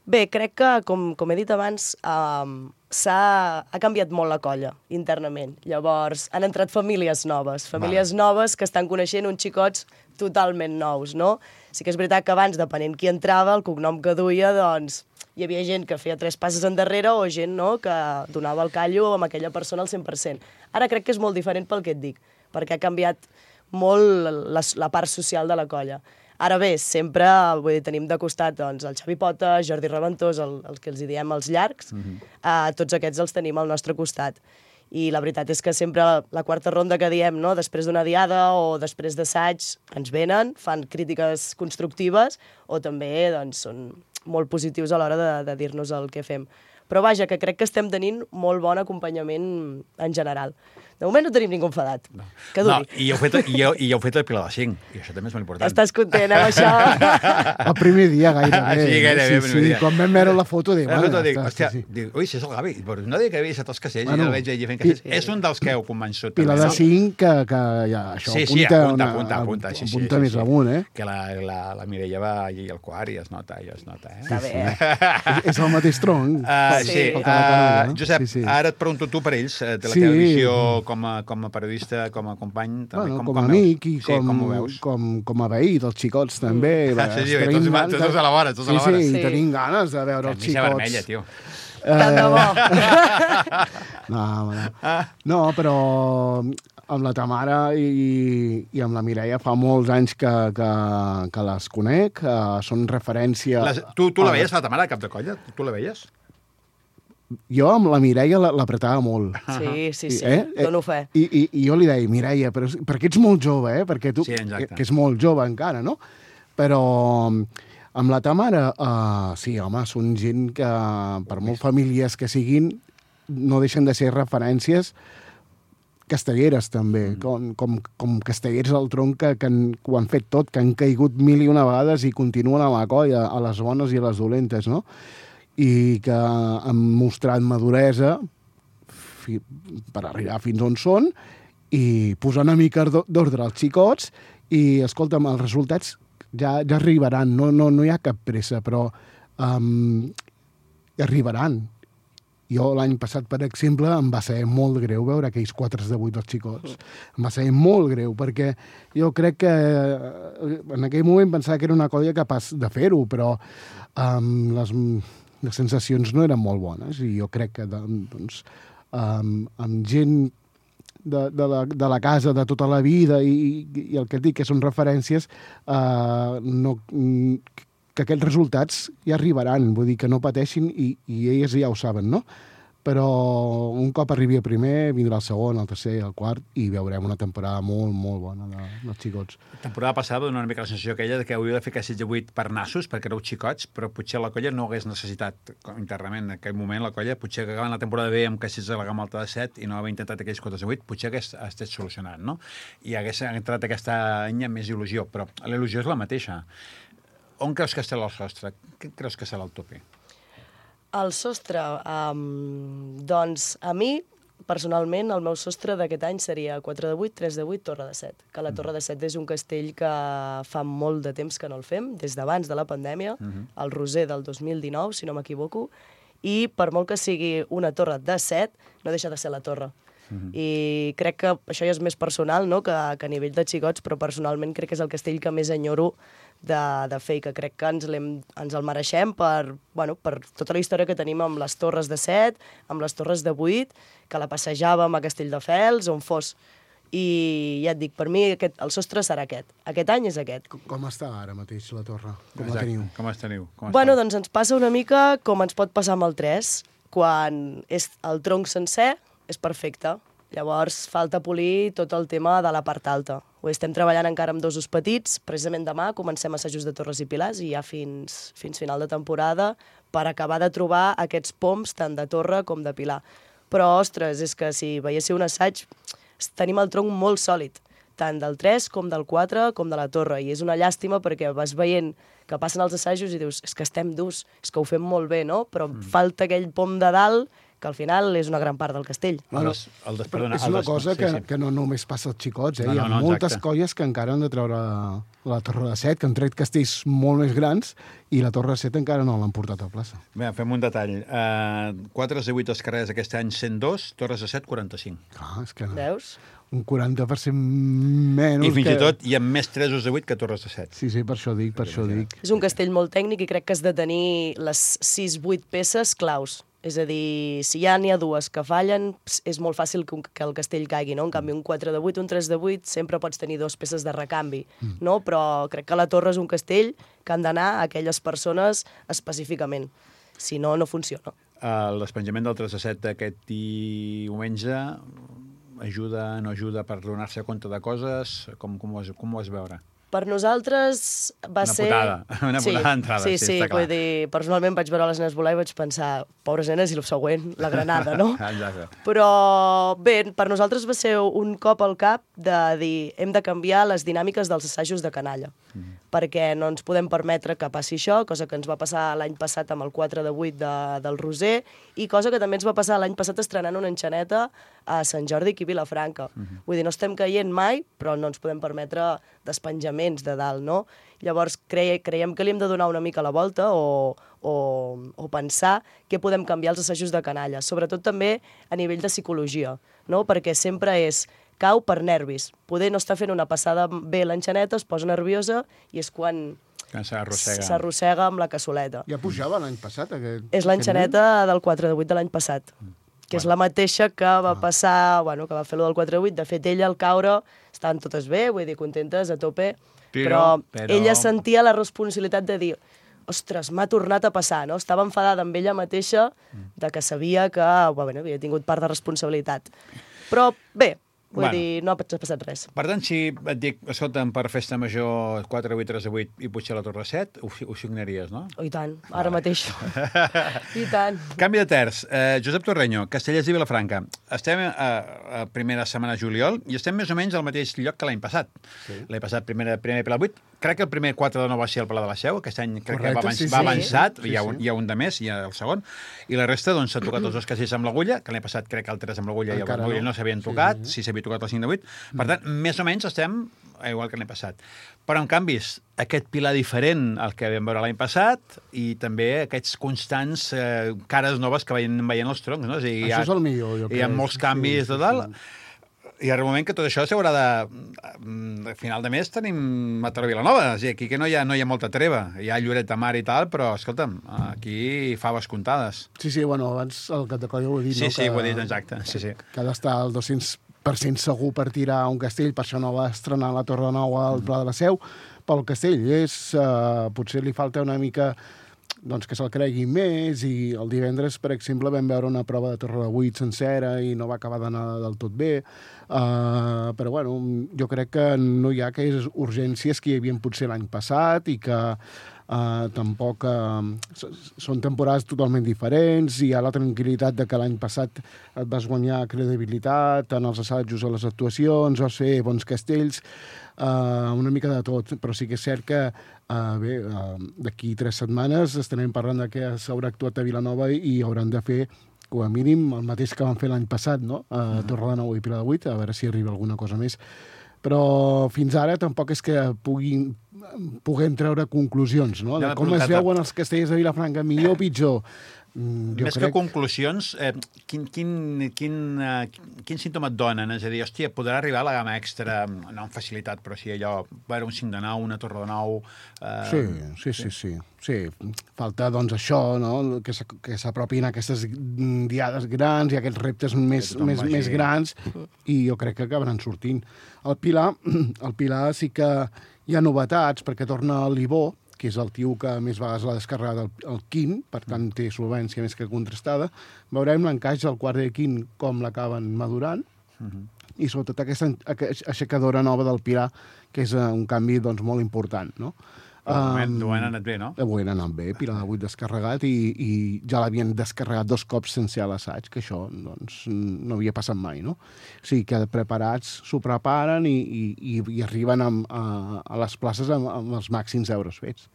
Bé, crec que, com he dit abans, ha canviat molt la colla internament. Llavors, han entrat famílies noves que estan coneixent uns xicots totalment nous, no? Sí que és veritat que abans, depenent qui entrava, el cognom que duia, doncs, hi havia gent que feia 3 passes endarrere o gent, no?, que donava el callo amb aquella persona al 100%. Ara crec que és molt diferent pel que et dic, perquè ha canviat molt la part social de la colla. Ara bé, sempre tenim de costat doncs, el Xavi Pota, Jordi Reventós, els que els diem els llargs, tots aquests els tenim al nostre costat. I la veritat és que sempre la quarta ronda que diem, no, després d'una diada o després d'assaig, ens venen, fan crítiques constructives o també doncs, són molt positius a l'hora de dir-nos el que fem. Però vaja, que crec que estem tenint molt bon acompanyament en general. De moment no tenim ningú enfadat. Que duri. No, i heu fet el Pilar de 5, i això també és molt important. Estàs content amb això? El primer dia, gairebé. Sí, gairebé el primer dia. Quan vam veure la foto, dic... Hòstia, ui, si és el Gavi. No dic que havia estat els castells, i el veig allà fent castells. És un dels que heu convençut. Pilar de 5, que ja, això apunta. Apunta més amunt, eh? Que la Mireia va allí al quart i es nota, Està bé. És el mateix tronc. Sí. Josep, ara et pregunto tu per ells, de la teva visió com a periodista, com a company... Com a amic i com a veí dels xicots, també. Sí, tots a la vora. Sí, tenim ganes de veure els xicots. Camisa vermella, tio. Tant de bo. No, però amb la Tamara i amb la Mireia fa molts anys que les conec, són referència... Tu la veies, la Tamara, cap de colla? Tu la veies? Jo amb la Mireia l'apretava molt. Sí, dono fe. I jo li deia, Mireia, perquè ets molt jove, perquè tu, que és molt jove encara, no? Però amb la Tamara, sí, home, són gent que, per molt famílies que siguin, no deixen de ser referències castelleres, també, com castellers del tronc que ho han fet tot, que han caigut 1001 vegades i continuen a la colla, a les bones i a les dolentes, no? I que han mostrat maduresa per arribar fins on són i posar una mica d'ordre als xicots i, escolta'm, els resultats ja arribaran, no hi ha cap pressa, però arribaran. Jo l'any passat, per exemple, em va ser molt greu veure aquells 4 de 8 dels xicots. Em va ser molt greu, perquè jo crec que en aquell moment pensava que era una colla capaç de fer-ho, però les sensacions no eren molt bones i jo crec que doncs, amb gent de la casa de tota la vida i el que et dic que són referències que aquests resultats ja arribaran, vull dir que no pateixin i elles ja ho saben, no? Però un cop arribi el primer, vindrà el segon, el tercer, el quart, i veurem una temporada molt, molt bona dels xicots. La temporada passada va donar una mica la sensació aquella que hauria de fer castells de 8 per nassos, perquè éreu xicots, però potser la colla no hagués necessitat internament en aquell moment la colla, potser que acabant la temporada bé amb castells de la gamma alta de 7 i no haver intentat aquells 4 de 8, potser hagués estat solucionat, no? I hagués entrat aquesta any amb més il·lusió, però la il·lusió és la mateixa. On creus que estarà el sostre? Què creus que serà el tope? El sostre, doncs a mi, personalment, el meu sostre d'aquest any seria 4 de 8, 3 de 8, Torre de 7. Que la Torre de 7 és un castell que fa molt de temps que no el fem, des d'abans de la pandèmia, el Roser del 2019, si no m'equivoco, i per molt que sigui una torre de 7, no deixa de ser la torre. I crec que això ja és més personal, no?, que a nivell de xicots, però personalment crec que és el castell que més enyoro de fer i que crec que ens el mereixem per tota la història que tenim amb les torres de 7, amb les torres de 8, que la passejàvem a Castelldefels, on fos. I ja et dic, per mi el sostre serà aquest. Aquest any és aquest. Com està ara mateix la torre? Com Exacte. la teniu? Com es teniu? Bueno, doncs ens passa una mica com ens pot passar amb el 3. Quan és el tronc sencer, és perfecte. Llavors falta polir tot el tema de la part alta. Ho estem treballant encara amb dosos petits. Precisament demà comencem assajos de torres i pilars i ja fins final de temporada per acabar de trobar aquests poms tant de torre com de pilar. Però, ostres, és que si veiéssiu un assaig, tenim el tronc molt sòlid, tant del 3 com del 4 com de la torre, i és una llàstima perquè vas veient que passen els assajos i dius, és que estem durs, és que ho fem molt bé, no? Però falta aquell pom de dalt que al final és una gran part del castell. Bueno, és una cosa que no només passa als xicots, Hi ha moltes colles que encara han de treure la torre de 7, que han tret castells molt més grans, i la torre de 7 encara no l'han portat a plaça. Bé, fem un detall. 4 de 8 carrers aquest any 102, torres de 7 45. Clar, és que Veus? Un 40% menys. I fins i tot hi ha més 3 de 8 que torres de 7. Sí, per això dic. És un castell molt tècnic i crec que has de tenir les 6-8 peces claus. És a dir, si ja n'hi ha dues que fallen, és molt fàcil que el castell caigui, no? En canvi, un 4 de 8, un 3 de 8, sempre pots tenir 2 peces de recanvi, no? Però crec que la torre és un castell que han d'anar a aquelles persones específicament. Si no, no funciona. El despenjament del 3 de 7 d'aquest diumenge ajuda, no ajuda per donar-se compte de coses? Com ho vas veure? Per nosaltres va ser... Una putada d'entrada, sí, està clar. Vull dir, personalment vaig veure les nenes volar i vaig pensar, pobres nenes, i el següent, la granada, no? Exacte. Però bé, per nosaltres va ser un cop al cap de dir, hem de canviar les dinàmiques dels assajos de canalla, perquè no ens podem permetre que passi això, cosa que ens va passar l'any passat amb el 4 de 8 del Roser, i cosa que també ens va passar l'any passat estrenant una enxaneta a Sant Jordi aquí a Vilafranca. Vull dir, no estem caient mai, però no ens podem permetre despenjaments de dalt, no? Llavors creiem que li hem de donar una mica la volta o pensar què podem canviar als assajos de canalla, sobretot també a nivell de psicologia, no? Perquè sempre és cau per nervis. Poder no està fent una passada bé l'enxaneta, es posa nerviosa i és quan s'arrossega amb la cassoleta. Ja pujava l'any passat, aquest... És l'enxaneta del 4 de 8 de l'any passat, que és la mateixa que va passar, que va fer lo del 4 de 8. De fet, ella al caure estaven totes bé, vull dir, contentes, a tope, però ella sentia la responsabilitat de dir, ostres, m'ha tornat a passar, no? Estava enfadada amb ella mateixa de que sabia que havia tingut part de responsabilitat. Però bé, vull dir, no ha passat res. Per tant, si et dic, escolta'm, per festa major 4 de 8, 3 de 8 i pujar a la Torre 7, ho signaries, no? Oh, i tant, ara mateix. I tant. Canvi de terç. Josep Torreño, Castellers i Vilafranca. Estem a primera setmana de juliol i estem més o menys al mateix lloc que l'any passat. L'any passat, primer Pilar 8. Crec que el primer 4 de 9 va ser el Pla de la Seu. Aquest any crec que va avançat. Hi ha un de més, hi ha el segon. I la resta, doncs, s'ha tocat els dos castells amb l'agulla, que l'any passat crec que el 3 amb l'agulla i el l'agulla no s'havien tocat, sí s'havia tocat el 5 de 8. Per tant, més o menys estem igual que l'any passat. Però, en canvi, aquest pilar diferent al que vam veure l'any passat i també aquests constants cares noves que veien els troncs, no? Això és el millor, jo crec. Hi ha molts canvis de dalt. I arriba un moment que tot això s'haurà de... A final de mes tenim Mataró Vilanova, és a dir, aquí que no hi ha molta treva. Hi ha Lloret de Mar i tal, però, escolta'm, aquí faves comptades. Sí, abans el cap de colla ho he dit, no? Sí, ho he dit, exacte. Que ha d'estar al 200% segur per tirar un castell, per això no va estrenar la Torre Nova al Pla de la Seu, pel castell. Potser li falta una mica... que se'l cregui més, i el divendres, per exemple, vam veure una prova de Torre de 8 sencera i no va acabar d'anar del tot bé, però jo crec que no hi ha aquelles urgències que hi havia potser l'any passat i que tampoc són temporades totalment diferents, i hi ha la tranquil·litat de que l'any passat et vas guanyar credibilitat en els assajos, a les actuacions, vas fer bons castells, una mica de tot, però sí que és cert que d'aquí 3 setmanes estarem parlant que s'haurà actuat a Vilanova i hauran de fer com a mínim el mateix que van fer l'any passat, no? A Torre de 9 i Pilar de 8, a veure si arriba alguna cosa més. Però fins ara tampoc és que puguem treure conclusions, no? De com es veuen els castellers de Vilafranca, millor o pitjor. Més que conclusions, quin símptoma et donen? És a dir, hòstia, podrà arribar a la gamma extra, no amb facilitat, però sí allò, un 5 de 9, una torre de 9... Sí, falta, doncs, això, no? Que s'apropin aquestes diades grans i aquests reptes més grans, i jo crec que acabaran sortint. El Pilar sí que hi ha novetats, perquè torna l'Ibó, que és el tio que més vegades l'ha descarregat el Quint, per tant té solvència més que contrastada. Veurem l'encaix del quart de Quint, com l'acaben madurant, i sobretot aquesta aixecadora nova del Pilar, que és un canvi doncs, molt important, no? De moment ho han anat bé, no? De moment ha anat bé, Pilar de 8 descarregat, i ja l'havien descarregat 2 cops sense l'assaig, que això doncs, no havia passat mai, no? O sigui que preparats s'ho preparen i arriben a les places amb els màxims euros fets.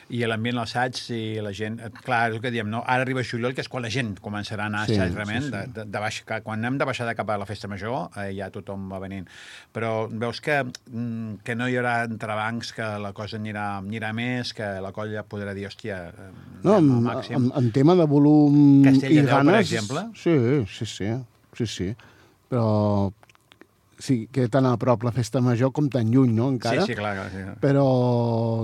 I l'ambient a l'assaig, i la gent... Clar, és el que diem, no? Ara arriba juliol, que és quan la gent començarà a anar a assaig, realment. Quan hem de baixar de cap a la festa major, ja tothom va venint. Però veus que no hi haurà entrebancs, que la cosa anirà més, que la colla podrà dir, hòstia, no, en tema de volum Castell i de Déu, ganes... per exemple? Sí. Però sí, que tan a prop la festa major com tan lluny, no?, encara. Sí, clar. Però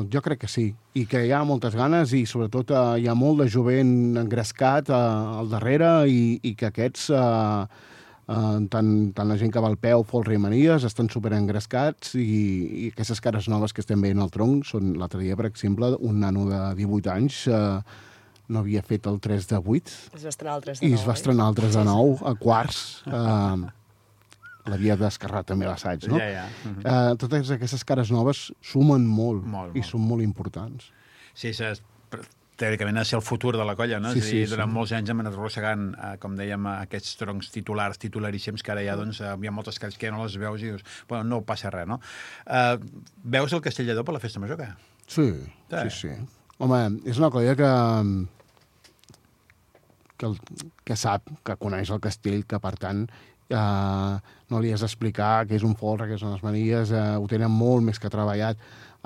jo crec que sí, i que hi ha moltes ganes, i sobretot hi ha molt de jovent engrescat al darrere, i que aquests... tant la gent que va al peu, folre i manies, estan superengrescats, i aquestes cares noves que estem veient al tronc són, l'altre dia, per exemple, un nano de 18 anys no havia fet el 3 de 8. Es va estrenar el 3 de 9. I es va estrenar el 3 de 9 a quarts. L'havia descarregat també l'assaig, no? Totes aquestes cares noves sumen molt. I són molt importants. Sí, teòricament ha de ser el futur de la colla, no? És a dir, durant molts anys hem anat arrossegant, com dèiem, aquests troncs titularíssims, que ara ja, doncs, hi ha moltes cares que no les veus i dius, bueno, no passa res, no? Veus el Castell de Déu per la festa major, què? Sí. Home, és una colla que sap, que coneix el castell, que, per tant, no li has d'explicar què és un folre, què són les manies, ho tenen molt més que treballat.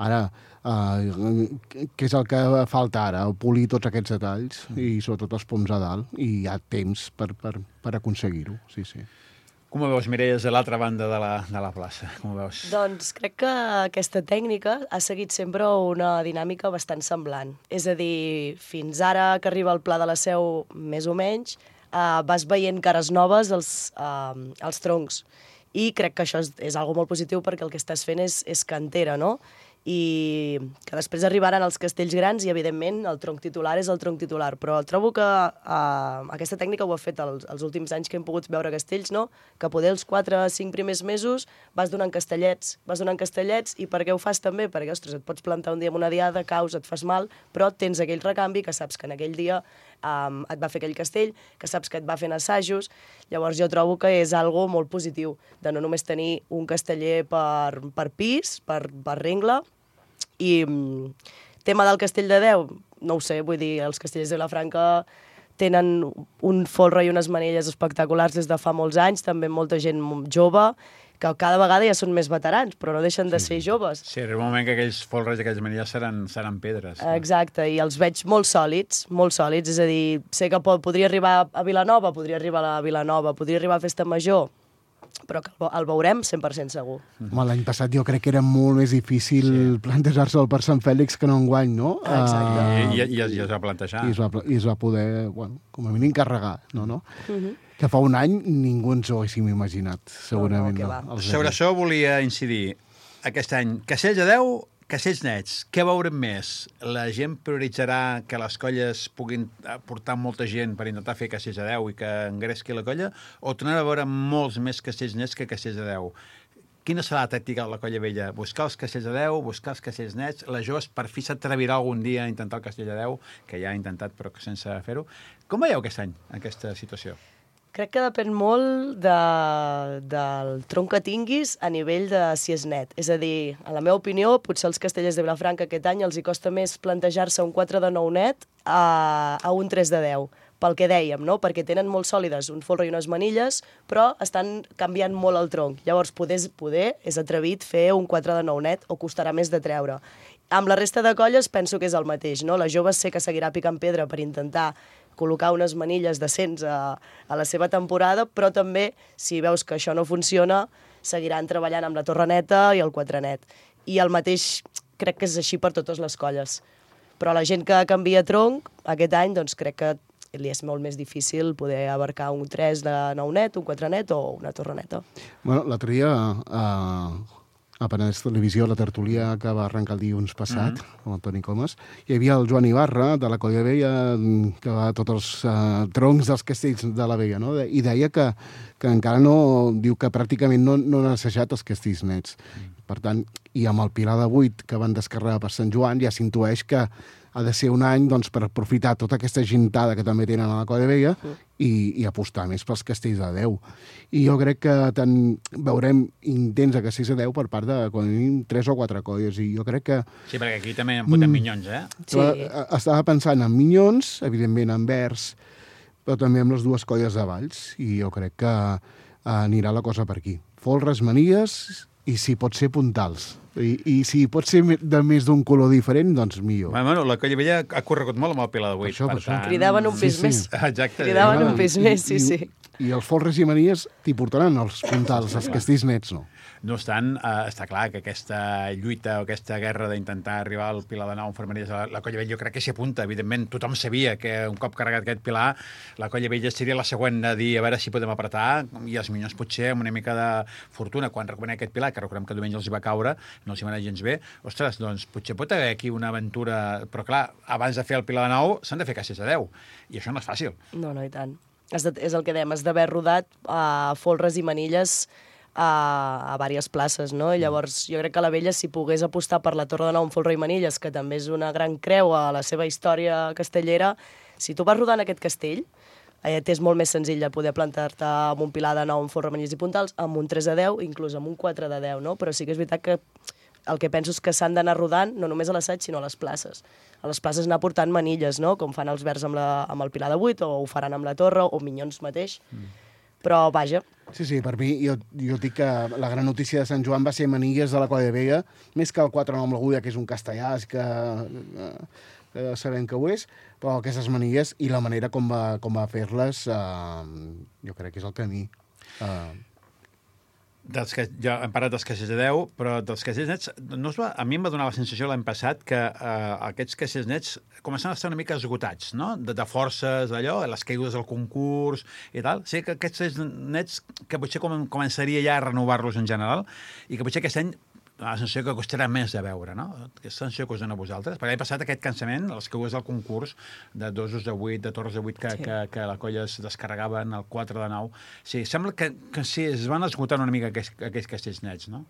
Ara, què és el que falta ara? Polir tots aquests detalls, i sobretot els poms a dalt, i hi ha temps per aconseguir-ho, sí. Com ho veus, Mireia, a l'altra banda de la plaça? Com ho veus? Doncs crec que aquesta tècnica ha seguit sempre una dinàmica bastant semblant. És a dir, fins ara que arriba el Pla de la Seu, més o menys, vas veient cares noves als troncs. I crec que això és algo molt positiu, perquè el que estàs fent és cantera, no? I que després arribaran els castells grans i, evidentment, el tronc titular és el tronc titular. Però trobo que aquesta tècnica ho ha fet els últims anys que hem pogut veure castells, no? Que poder els 4 o 5 primers mesos vas donant castellets, i per què ho fas també? Perquè, ostres, et pots plantar un dia amb una diada, caus, et fas mal, però tens aquell recanvi que saps que en aquell dia et va fer aquell castell, que saps que et va fent assajos. Llavors jo trobo que és algo molt positiu, de no només tenir un casteller per pis, per rengle. I tema del Castell de Déu, no ho sé, vull dir, els castellers de Vilafranca tenen un folre i unes manilles espectaculars des de fa molts anys, també molta gent jove, que cada vegada ja són més veterans, però no deixen de ser joves. Sí, arriba un moment que aquells folres i aquelles manilles seran pedres. Exacte, i els veig molt sòlids, és a dir, sé que podria arribar a Vilanova, podria arribar a Festa Major, però que el veurem 100% segur. L'any passat jo crec que era molt més difícil plantejar-se'l per Sant Fèlix que no enguany, no? Exacte. I es va plantejar. I es va poder, com a mínim, carregar, no? Que fa un any ningú ens ho haguéssim imaginat, segurament. Sobre això volia incidir. Aquest any, Castells de Déu, Castells nets, què veurem més? La gent prioritzarà que les colles puguin portar molta gent per intentar fer Castells de Déu i que engresqui la colla, o tornar a veure molts més Castells nets que Castells de Déu? Quina serà la tàctica de la colla vella? Buscar els Castells de Déu, buscar els Castells nets? La joves per fi s'atrevirà algun dia a intentar el Castell de Déu, que ja ha intentat però sense fer-ho. Com veieu aquest any, aquesta situació? Crec que depèn molt del tronc que tinguis a nivell de si és net. És a dir, en la meva opinió, potser els castellers de Vilafranca aquest any els hi costa més plantejar-se un 4 de 9 net a un 3 de 10. Pel que dèiem, no? Perquè tenen molt sòlides un folre i unes manilles, però estan canviant molt el tronc. Llavors, poder és atrevit fer un 4 de 9 net o costarà més de treure. Amb la resta de colles penso que és el mateix, no? La jove sé que seguirà picant pedra per intentar col·locar unes manilles decents a la seva temporada, però també, si veus que això no funciona, seguiran treballant amb la torre neta i el quatre net. I el mateix crec que és així per totes les colles. Però la gent que canvia tronc, aquest any, doncs crec que li és molt més difícil poder abarcar un 3 de 9 net, un 4 net o una torre neta. Bueno, l'altre dia a Penedès Televisió, la tertúlia que va arrencar el dilluns passat, amb el Toni Comas, hi havia el Joan Ibarra, de la Colla Vella, que va a tots els troncs dels castells de la Vella, no? I deia que encara no... Diu que pràcticament no han assajat els castells nets. Per tant, i amb el Pilar de 8 que van descarregar per Sant Joan, ja s'intueix que ha de ser un any doncs, per aprofitar tota aquesta gentada que també tenen a la Colla Vella i apostar més pels castells de 10. I jo crec que veurem intents de castells de 10 per part de, quan tenim 3 o 4 colles, i jo crec que... Sí, perquè aquí també en fotem minyons, eh? Sí. Estava pensant en minyons, evidentment en vers, però també amb les dues colles de Valls, i jo crec que anirà la cosa per aquí. Folres, manies, i si pot ser puntals. I si pot ser de més d'un color diferent, doncs millor. Bueno, la Colla Vella ha corregut molt amb el Pilar de 8. Per això. Cridaven un pis més. Exacte. Cridaven un pis més, sí. I els folres i manies t'hi portaran els puntals, els castells nets no. No obstant, està clar que aquesta lluita o aquesta guerra d'intentar arribar al Pilar de 9 enfermeries a la Colla Vella, jo crec que s'hi apunta. Evidentment, tothom sabia que un cop carregat aquest Pilar, la Colla Vella seria la següent a dir a veure si podem apretar, i els minyons potser amb una mica de fortuna, quan recuperem aquest Pilar, que recordem que diumenge els hi va caure, no els hi va anar gens bé, ostres, doncs potser pot haver aquí una aventura... Però clar, abans de fer el Pilar de 9 s'han de fer castells de 10, i això no és fàcil. No, i tant. És el que dèiem, has d'haver rodat folres i manilles a diverses places, no? I llavors jo crec que la Vella, si pogués apostar per la Torre de Nou amb folre i manilles, que també és una gran creu a la seva història castellera, si tu vas rodant aquest castell, t'és molt més senzill de poder plantar-te amb un Pilar de 9 amb folre, manilles i puntals, amb un 3 de 10, inclús amb un 4 de 10, no? Però sí que és veritat que el que penso és que s'han d'anar rodant, no només a l'assaig, sinó a les places. A les places anar portant manilles, no? Com fan els verds amb el Pilar de 8, o ho faran amb la torre, o minyons mateix. Però, vaja. Sí, per mi, jo dic que la gran notícia de Sant Joan va ser manilles de la Colla Vella, més que el 4 amb l'agulla, que és un castellà, que sabem que ho és, però aquestes manilles i la manera com va fer-les, jo crec que és el camí. Ja hem parlat dels castells de 10, però dels castells nets, a mi em va donar la sensació l'any passat que aquests castells nets començaven a estar una mica esgotats, no? De forces, d'allò, les caigudes del concurs i tal. Sí que aquests castells nets, que potser començaria ja a renovar-los en general, i que potser aquest any la sensació que costarà més de veure, no? Aquesta sensació que us dona a vosaltres. Perquè l'any passat aquest cansament, les caigudes del concurs, de dosos de 8, de torres de 8, que la colla es descarregaven, el 4 de 9... Sí, sembla que sí, es van esgotant una mica aquests castells nets, no?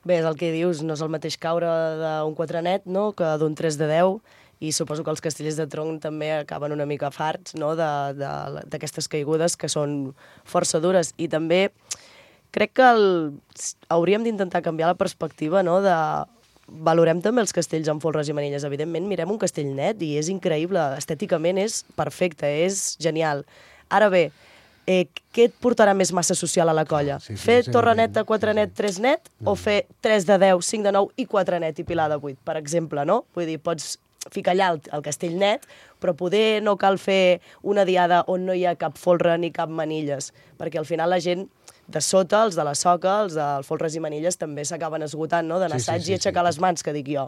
Bé, és el que dius, no és el mateix caure d'un 4 net, no?, que d'un 3 de 10, i suposo que els castellers de tronc també acaben una mica farts, no?, d'aquestes caigudes que són força dures. I també crec que hauríem d'intentar canviar la perspectiva, no?, valorem també els castells amb folres i manilles. Evidentment, mirem un castell net i és increïble, estèticament és perfecte, és genial. Ara bé, què et portarà més massa social a la colla? Fer torre neta, 4 net, 3 net, o fer 3 de 10, 5 de 9 i 4 net i Pilar de 8, per exemple, no? Vull dir, pots ficar allà el castell net, però poder no cal fer una diada on no hi ha cap folre ni cap manilles, perquè al final la gent de sota, els de la soca, els del folres i manilles, també s'acaben esgotant, no?, d'anar assaig i aixecar les mans, que dic jo.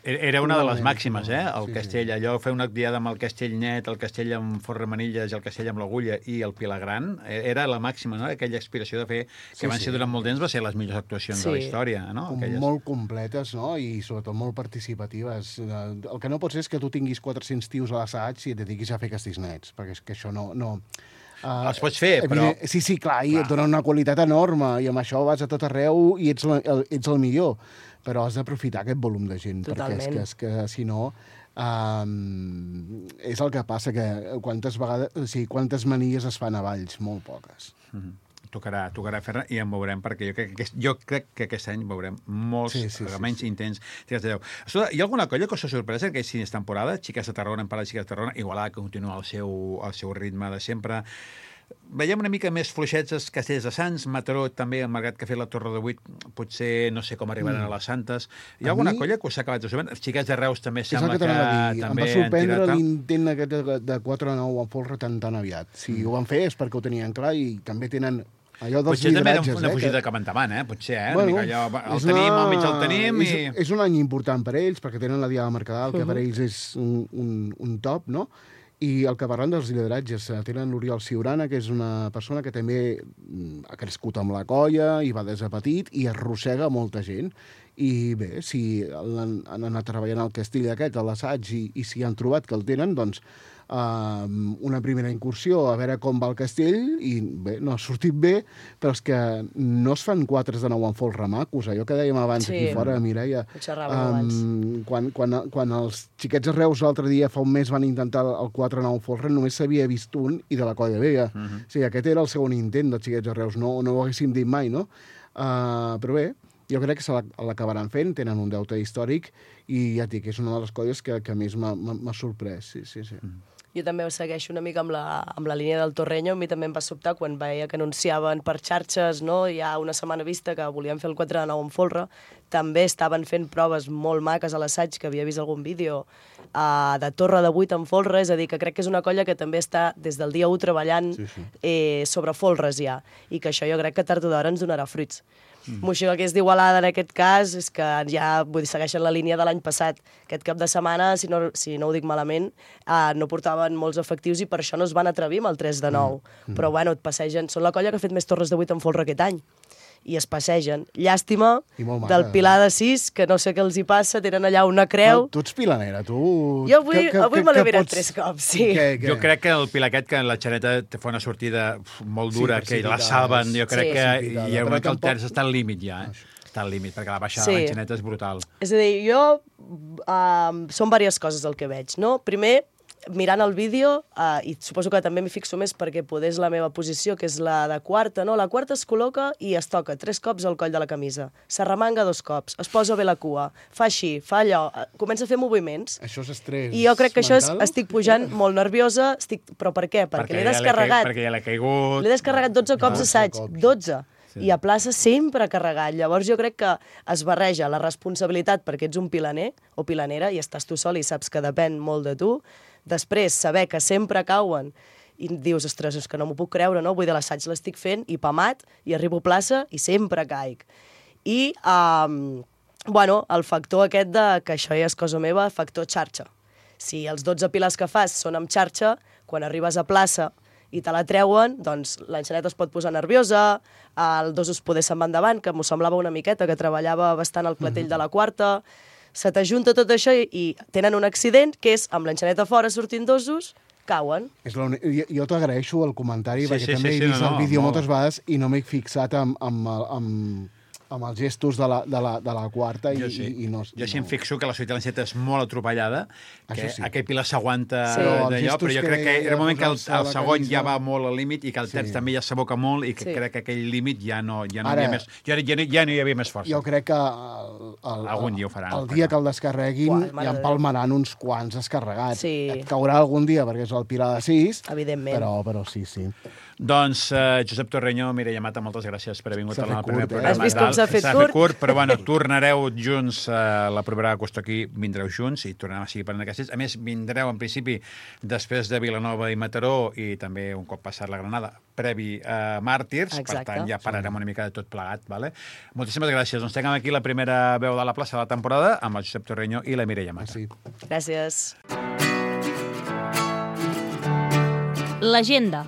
Era una de les màximes, el castell. Allò, fer una diada amb el castell net, el castell amb folre manilles i el castell amb l'agulla i el Pilar gran, era la màxima, no?, aquella aspiració de fer, que van ser durant molt temps, va ser les millors actuacions de la història, no? Molt completes, no?, i sobretot molt participatives. El que no pot ser és que tu tinguis 400 tios a l'assaig i et dediquis a fer castells nets, perquè és que això no... Els pots fer, però... Sí, clar, i et donen una qualitat enorme, i amb això vas a tot arreu i ets el millor. Però has d'aprofitar aquest volum de gent, totalment, perquè és que si no... és el que passa, que quantes manies es fan a Valls? Molt poques. Tocarà fer-ne i en veurem, perquè jo crec que aquest any veurem molts remenys intents. Escolta, hi ha alguna colla que us ha sorprès en aquesta temporada? Xiques de Tarragona, hem parlat de Xiques de Tarragona, Igualada, que continua el seu ritme de sempre. Veiem una mica més fluixets els Castells de Sants, Mataró també, malgrat que ha fet la Torre de 8, potser no sé com arribaran a les Santes. Hi ha alguna colla que us ha acabat de subir? Els xiquets de Reus també sembla que també em va sorprendre l'intent aquest de 4-9 en folre tan aviat. Si ho van fer és perquè ho tenien clar i també tenen allò dels lideratges. Potser també una fugida cap endavant, potser, Bueno, el tenim, almenys el tenim. És un any important per ells, perquè tenen la Diada Mercadal, que per ells és un top, no? I el que parlant dels lideratges, tenen l'Oriol Ciurana, que és una persona que també ha crescut amb la colla i va des de petit i arrossega molta gent. I bé, si han anat treballant al castell aquest, a l'assaig, i si han trobat que el tenen, doncs una primera incursió a veure com va el castell i bé, no ha sortit bé, però és que no es fan 4-9 en folre macos. Allò que dèiem abans aquí fora, Mireia, quan els xiquets de Reus l'altre dia, fa un mes, van intentar el 4-9 en folre, només s'havia vist un i de la colla vella. O sigui, aquest era el segon intent dels xiquets de Reus, no ho haguéssim dit mai, no? Però bé, jo crec que se l'acabaran fent, tenen un deute històric i ja et dic, és una de les colles que més m'ha sorprès, sí. Jo també segueixo una mica amb la línia del Torreño. A mi també em va sobtar quan veia que anunciaven per xarxes, no? Ja una setmana vista que volien fer el 4-9 en folre. També estaven fent proves molt maques a l'assaig, que havia vist algun vídeo de Torre de 8 en folre. És a dir, que crec que és una colla que també està des del dia 1 treballant sobre folres ja. I que això jo crec que tard o d'hora ens donarà fruits. Moixigó, que és d'Igualada en aquest cas, és que ja segueixen la línia de l'any passat. Aquest cap de setmana, si no ho dic malament, no portaven molts efectius i per això no es van atrevir amb el 3 de 9. Però bueno, et passegen. Són la colla que ha fet més torres de 8 en folre aquest any. I es passegen. Llàstima del Pilar de 6, que no sé què els hi passa, tenen allà una creu. Tu ets pilanera, tu... Jo avui me l'he mirat 3 cops, sí. Jo crec que el Pilar aquest, que la Xaneta te fa una sortida molt dura, que la salven, jo crec que hi ha un moment que el terç està al límit ja, està al límit, perquè la baixada de la Xaneta és brutal. És a dir, jo... Són diverses coses el que veig, no? Primer, mirant el vídeo, i suposo que també m'hi fixo més perquè poder és la meva posició, que és la de quarta, no? La quarta es col·loca i es toca 3 cops al coll de la camisa. S'arremanga 2 cops, es posa bé la cua, fa així, fa allò, comença a fer moviments. Això és estrès mental? I jo crec que això estic pujant molt nerviosa, però per què? Perquè l'he descarregat. Perquè ja l'he caigut. L'he descarregat 12 cops assaig, 12. I a plaça sempre carregat. Llavors jo crec que es barreja la responsabilitat perquè ets un pilaner o pilanera i estàs tu sol i saps que depèn molt de tu. Després, saber que sempre cauen i dius, ostres, és que no m'ho puc creure, no? Vull dir, l'assaig l'estic fent i pamat i arribo a plaça i sempre caic. I, el factor aquest de que això ja és cosa meva, factor xarxa. Si els 12 pilars que fas són amb xarxa, quan arribes a plaça i te la treuen, doncs l'enxaneta es pot posar nerviosa, el dosos poder se'n va endavant, que m'ho semblava una miqueta, que treballava bastant el clatell de la quarta. Se t'ajunta tot això i tenen un accident, que és amb l'enxaneta fora sortint dosos, cauen. Jo t'agraeixo el comentari, perquè també he vist el vídeo moltes vegades i no m'he fixat amb els gestos de la quarta. Jo sí em fixo que la sortida de l'enceta és molt atropellada, que aquell Pilar s'aguanta d'allò, però jo crec que era un moment que el segon ja va molt al límit i que el terç també ja s'aboca molt i que crec que aquell límit ja no hi havia més... Ja no hi havia més força. Jo crec que algun dia ho faran. El dia que el descarreguin ja empalmaran uns quants descarregats. Et caurà algun dia perquè és el Pilar de 6, però sí. Doncs Josep Torreño, Mireia Mata, moltes gràcies per haver vingut al primer programa. Has vist com s'ha fet curt? Però bueno, tornareu junts la propera qüestió aquí, vindreu junts i tornarem a seguir parlant de castells. A més, vindreu en principi després de Vilanova i Mataró i també un cop passat la Granada, previ a Màrtirs. Per tant, ja pararem una mica de tot plegat. Moltíssimes gràcies. Doncs tinguem aquí la primera veu de la plaça de la temporada amb el Josep Torreño i la Mireia Mata. Gràcies. L'agenda.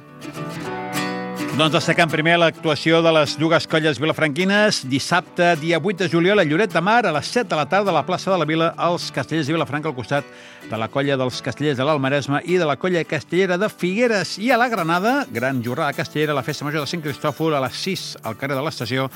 Doncs destacant primer l'actuació de les dues colles vilafranquines. Dissabte, dia 8 de juliol, a Lloret de Mar, a les 7 de la tarda, a la plaça de la Vila, els Castellers de Vilafranca, al costat de la colla dels Castellers de l'Almaresme i de la colla castellera de Figueres. I a la Granada, gran jornada castellera, la festa major de Sant Cristòfol, a les 6 al carrer de l'Estació,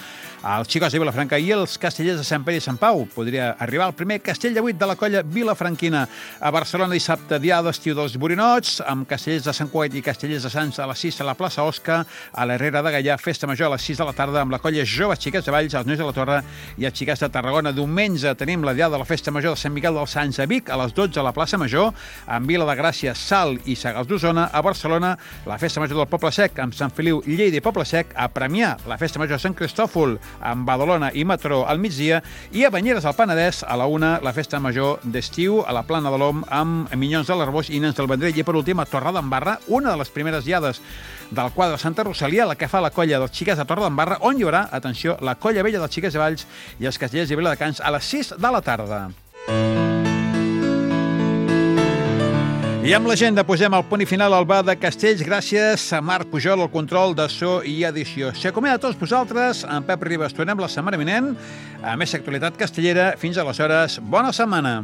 els Xicots de Vilafranca i els Castellers de Sant Pere i Sant Pau. Podria arribar el primer castell de 8 de la colla vilafranquina. A Barcelona, dissabte, dia d'estiu dels Borinots, amb Castellers de Sant Cugat i Castellers de Sants a les 6 a la plaça Osca. a l'Herrera de Gaià, festa major a les 6 de la tarda amb la colla Joves Xiquets de Valls, els Nois de la Torre i els Xiquets de Tarragona. Diumenge tenim la diada de la festa major de Sant Miquel dels Sants a Vic, a les 12 a la plaça Major, en Vila de Gràcia, Salt i Sagàs d'Osona, a Barcelona, la festa major del Poble Sec amb Sant Feliu, Lleida i Poble Sec, a Premià, la festa major de Sant Cristòfol amb Badalona i Mataró al migdia, i a Banyeres al Penedès, a la 1, la festa major d'estiu a la Plana de l'Om amb Minyons de l'Arboix i Nens del Vendrell. I per últim, a Torredembarra, una de les primeres diades del quadre de Santa Rosalia, la que fa la colla dels Xiquets de Torredembarra, on hi haurà, atenció, la colla vella dels Xiquets de Valls i els Castellers i Viladecans a les 6 de la tarda. I amb l'agenda posem el punt i final al bar de Castells. Gràcies a Marc Pujol, el control de so i edició. S'acomiada a tots vosaltres. En Pep Ribas tornem la setmana vinent a més actualitat castellera. Fins aleshores, bona setmana.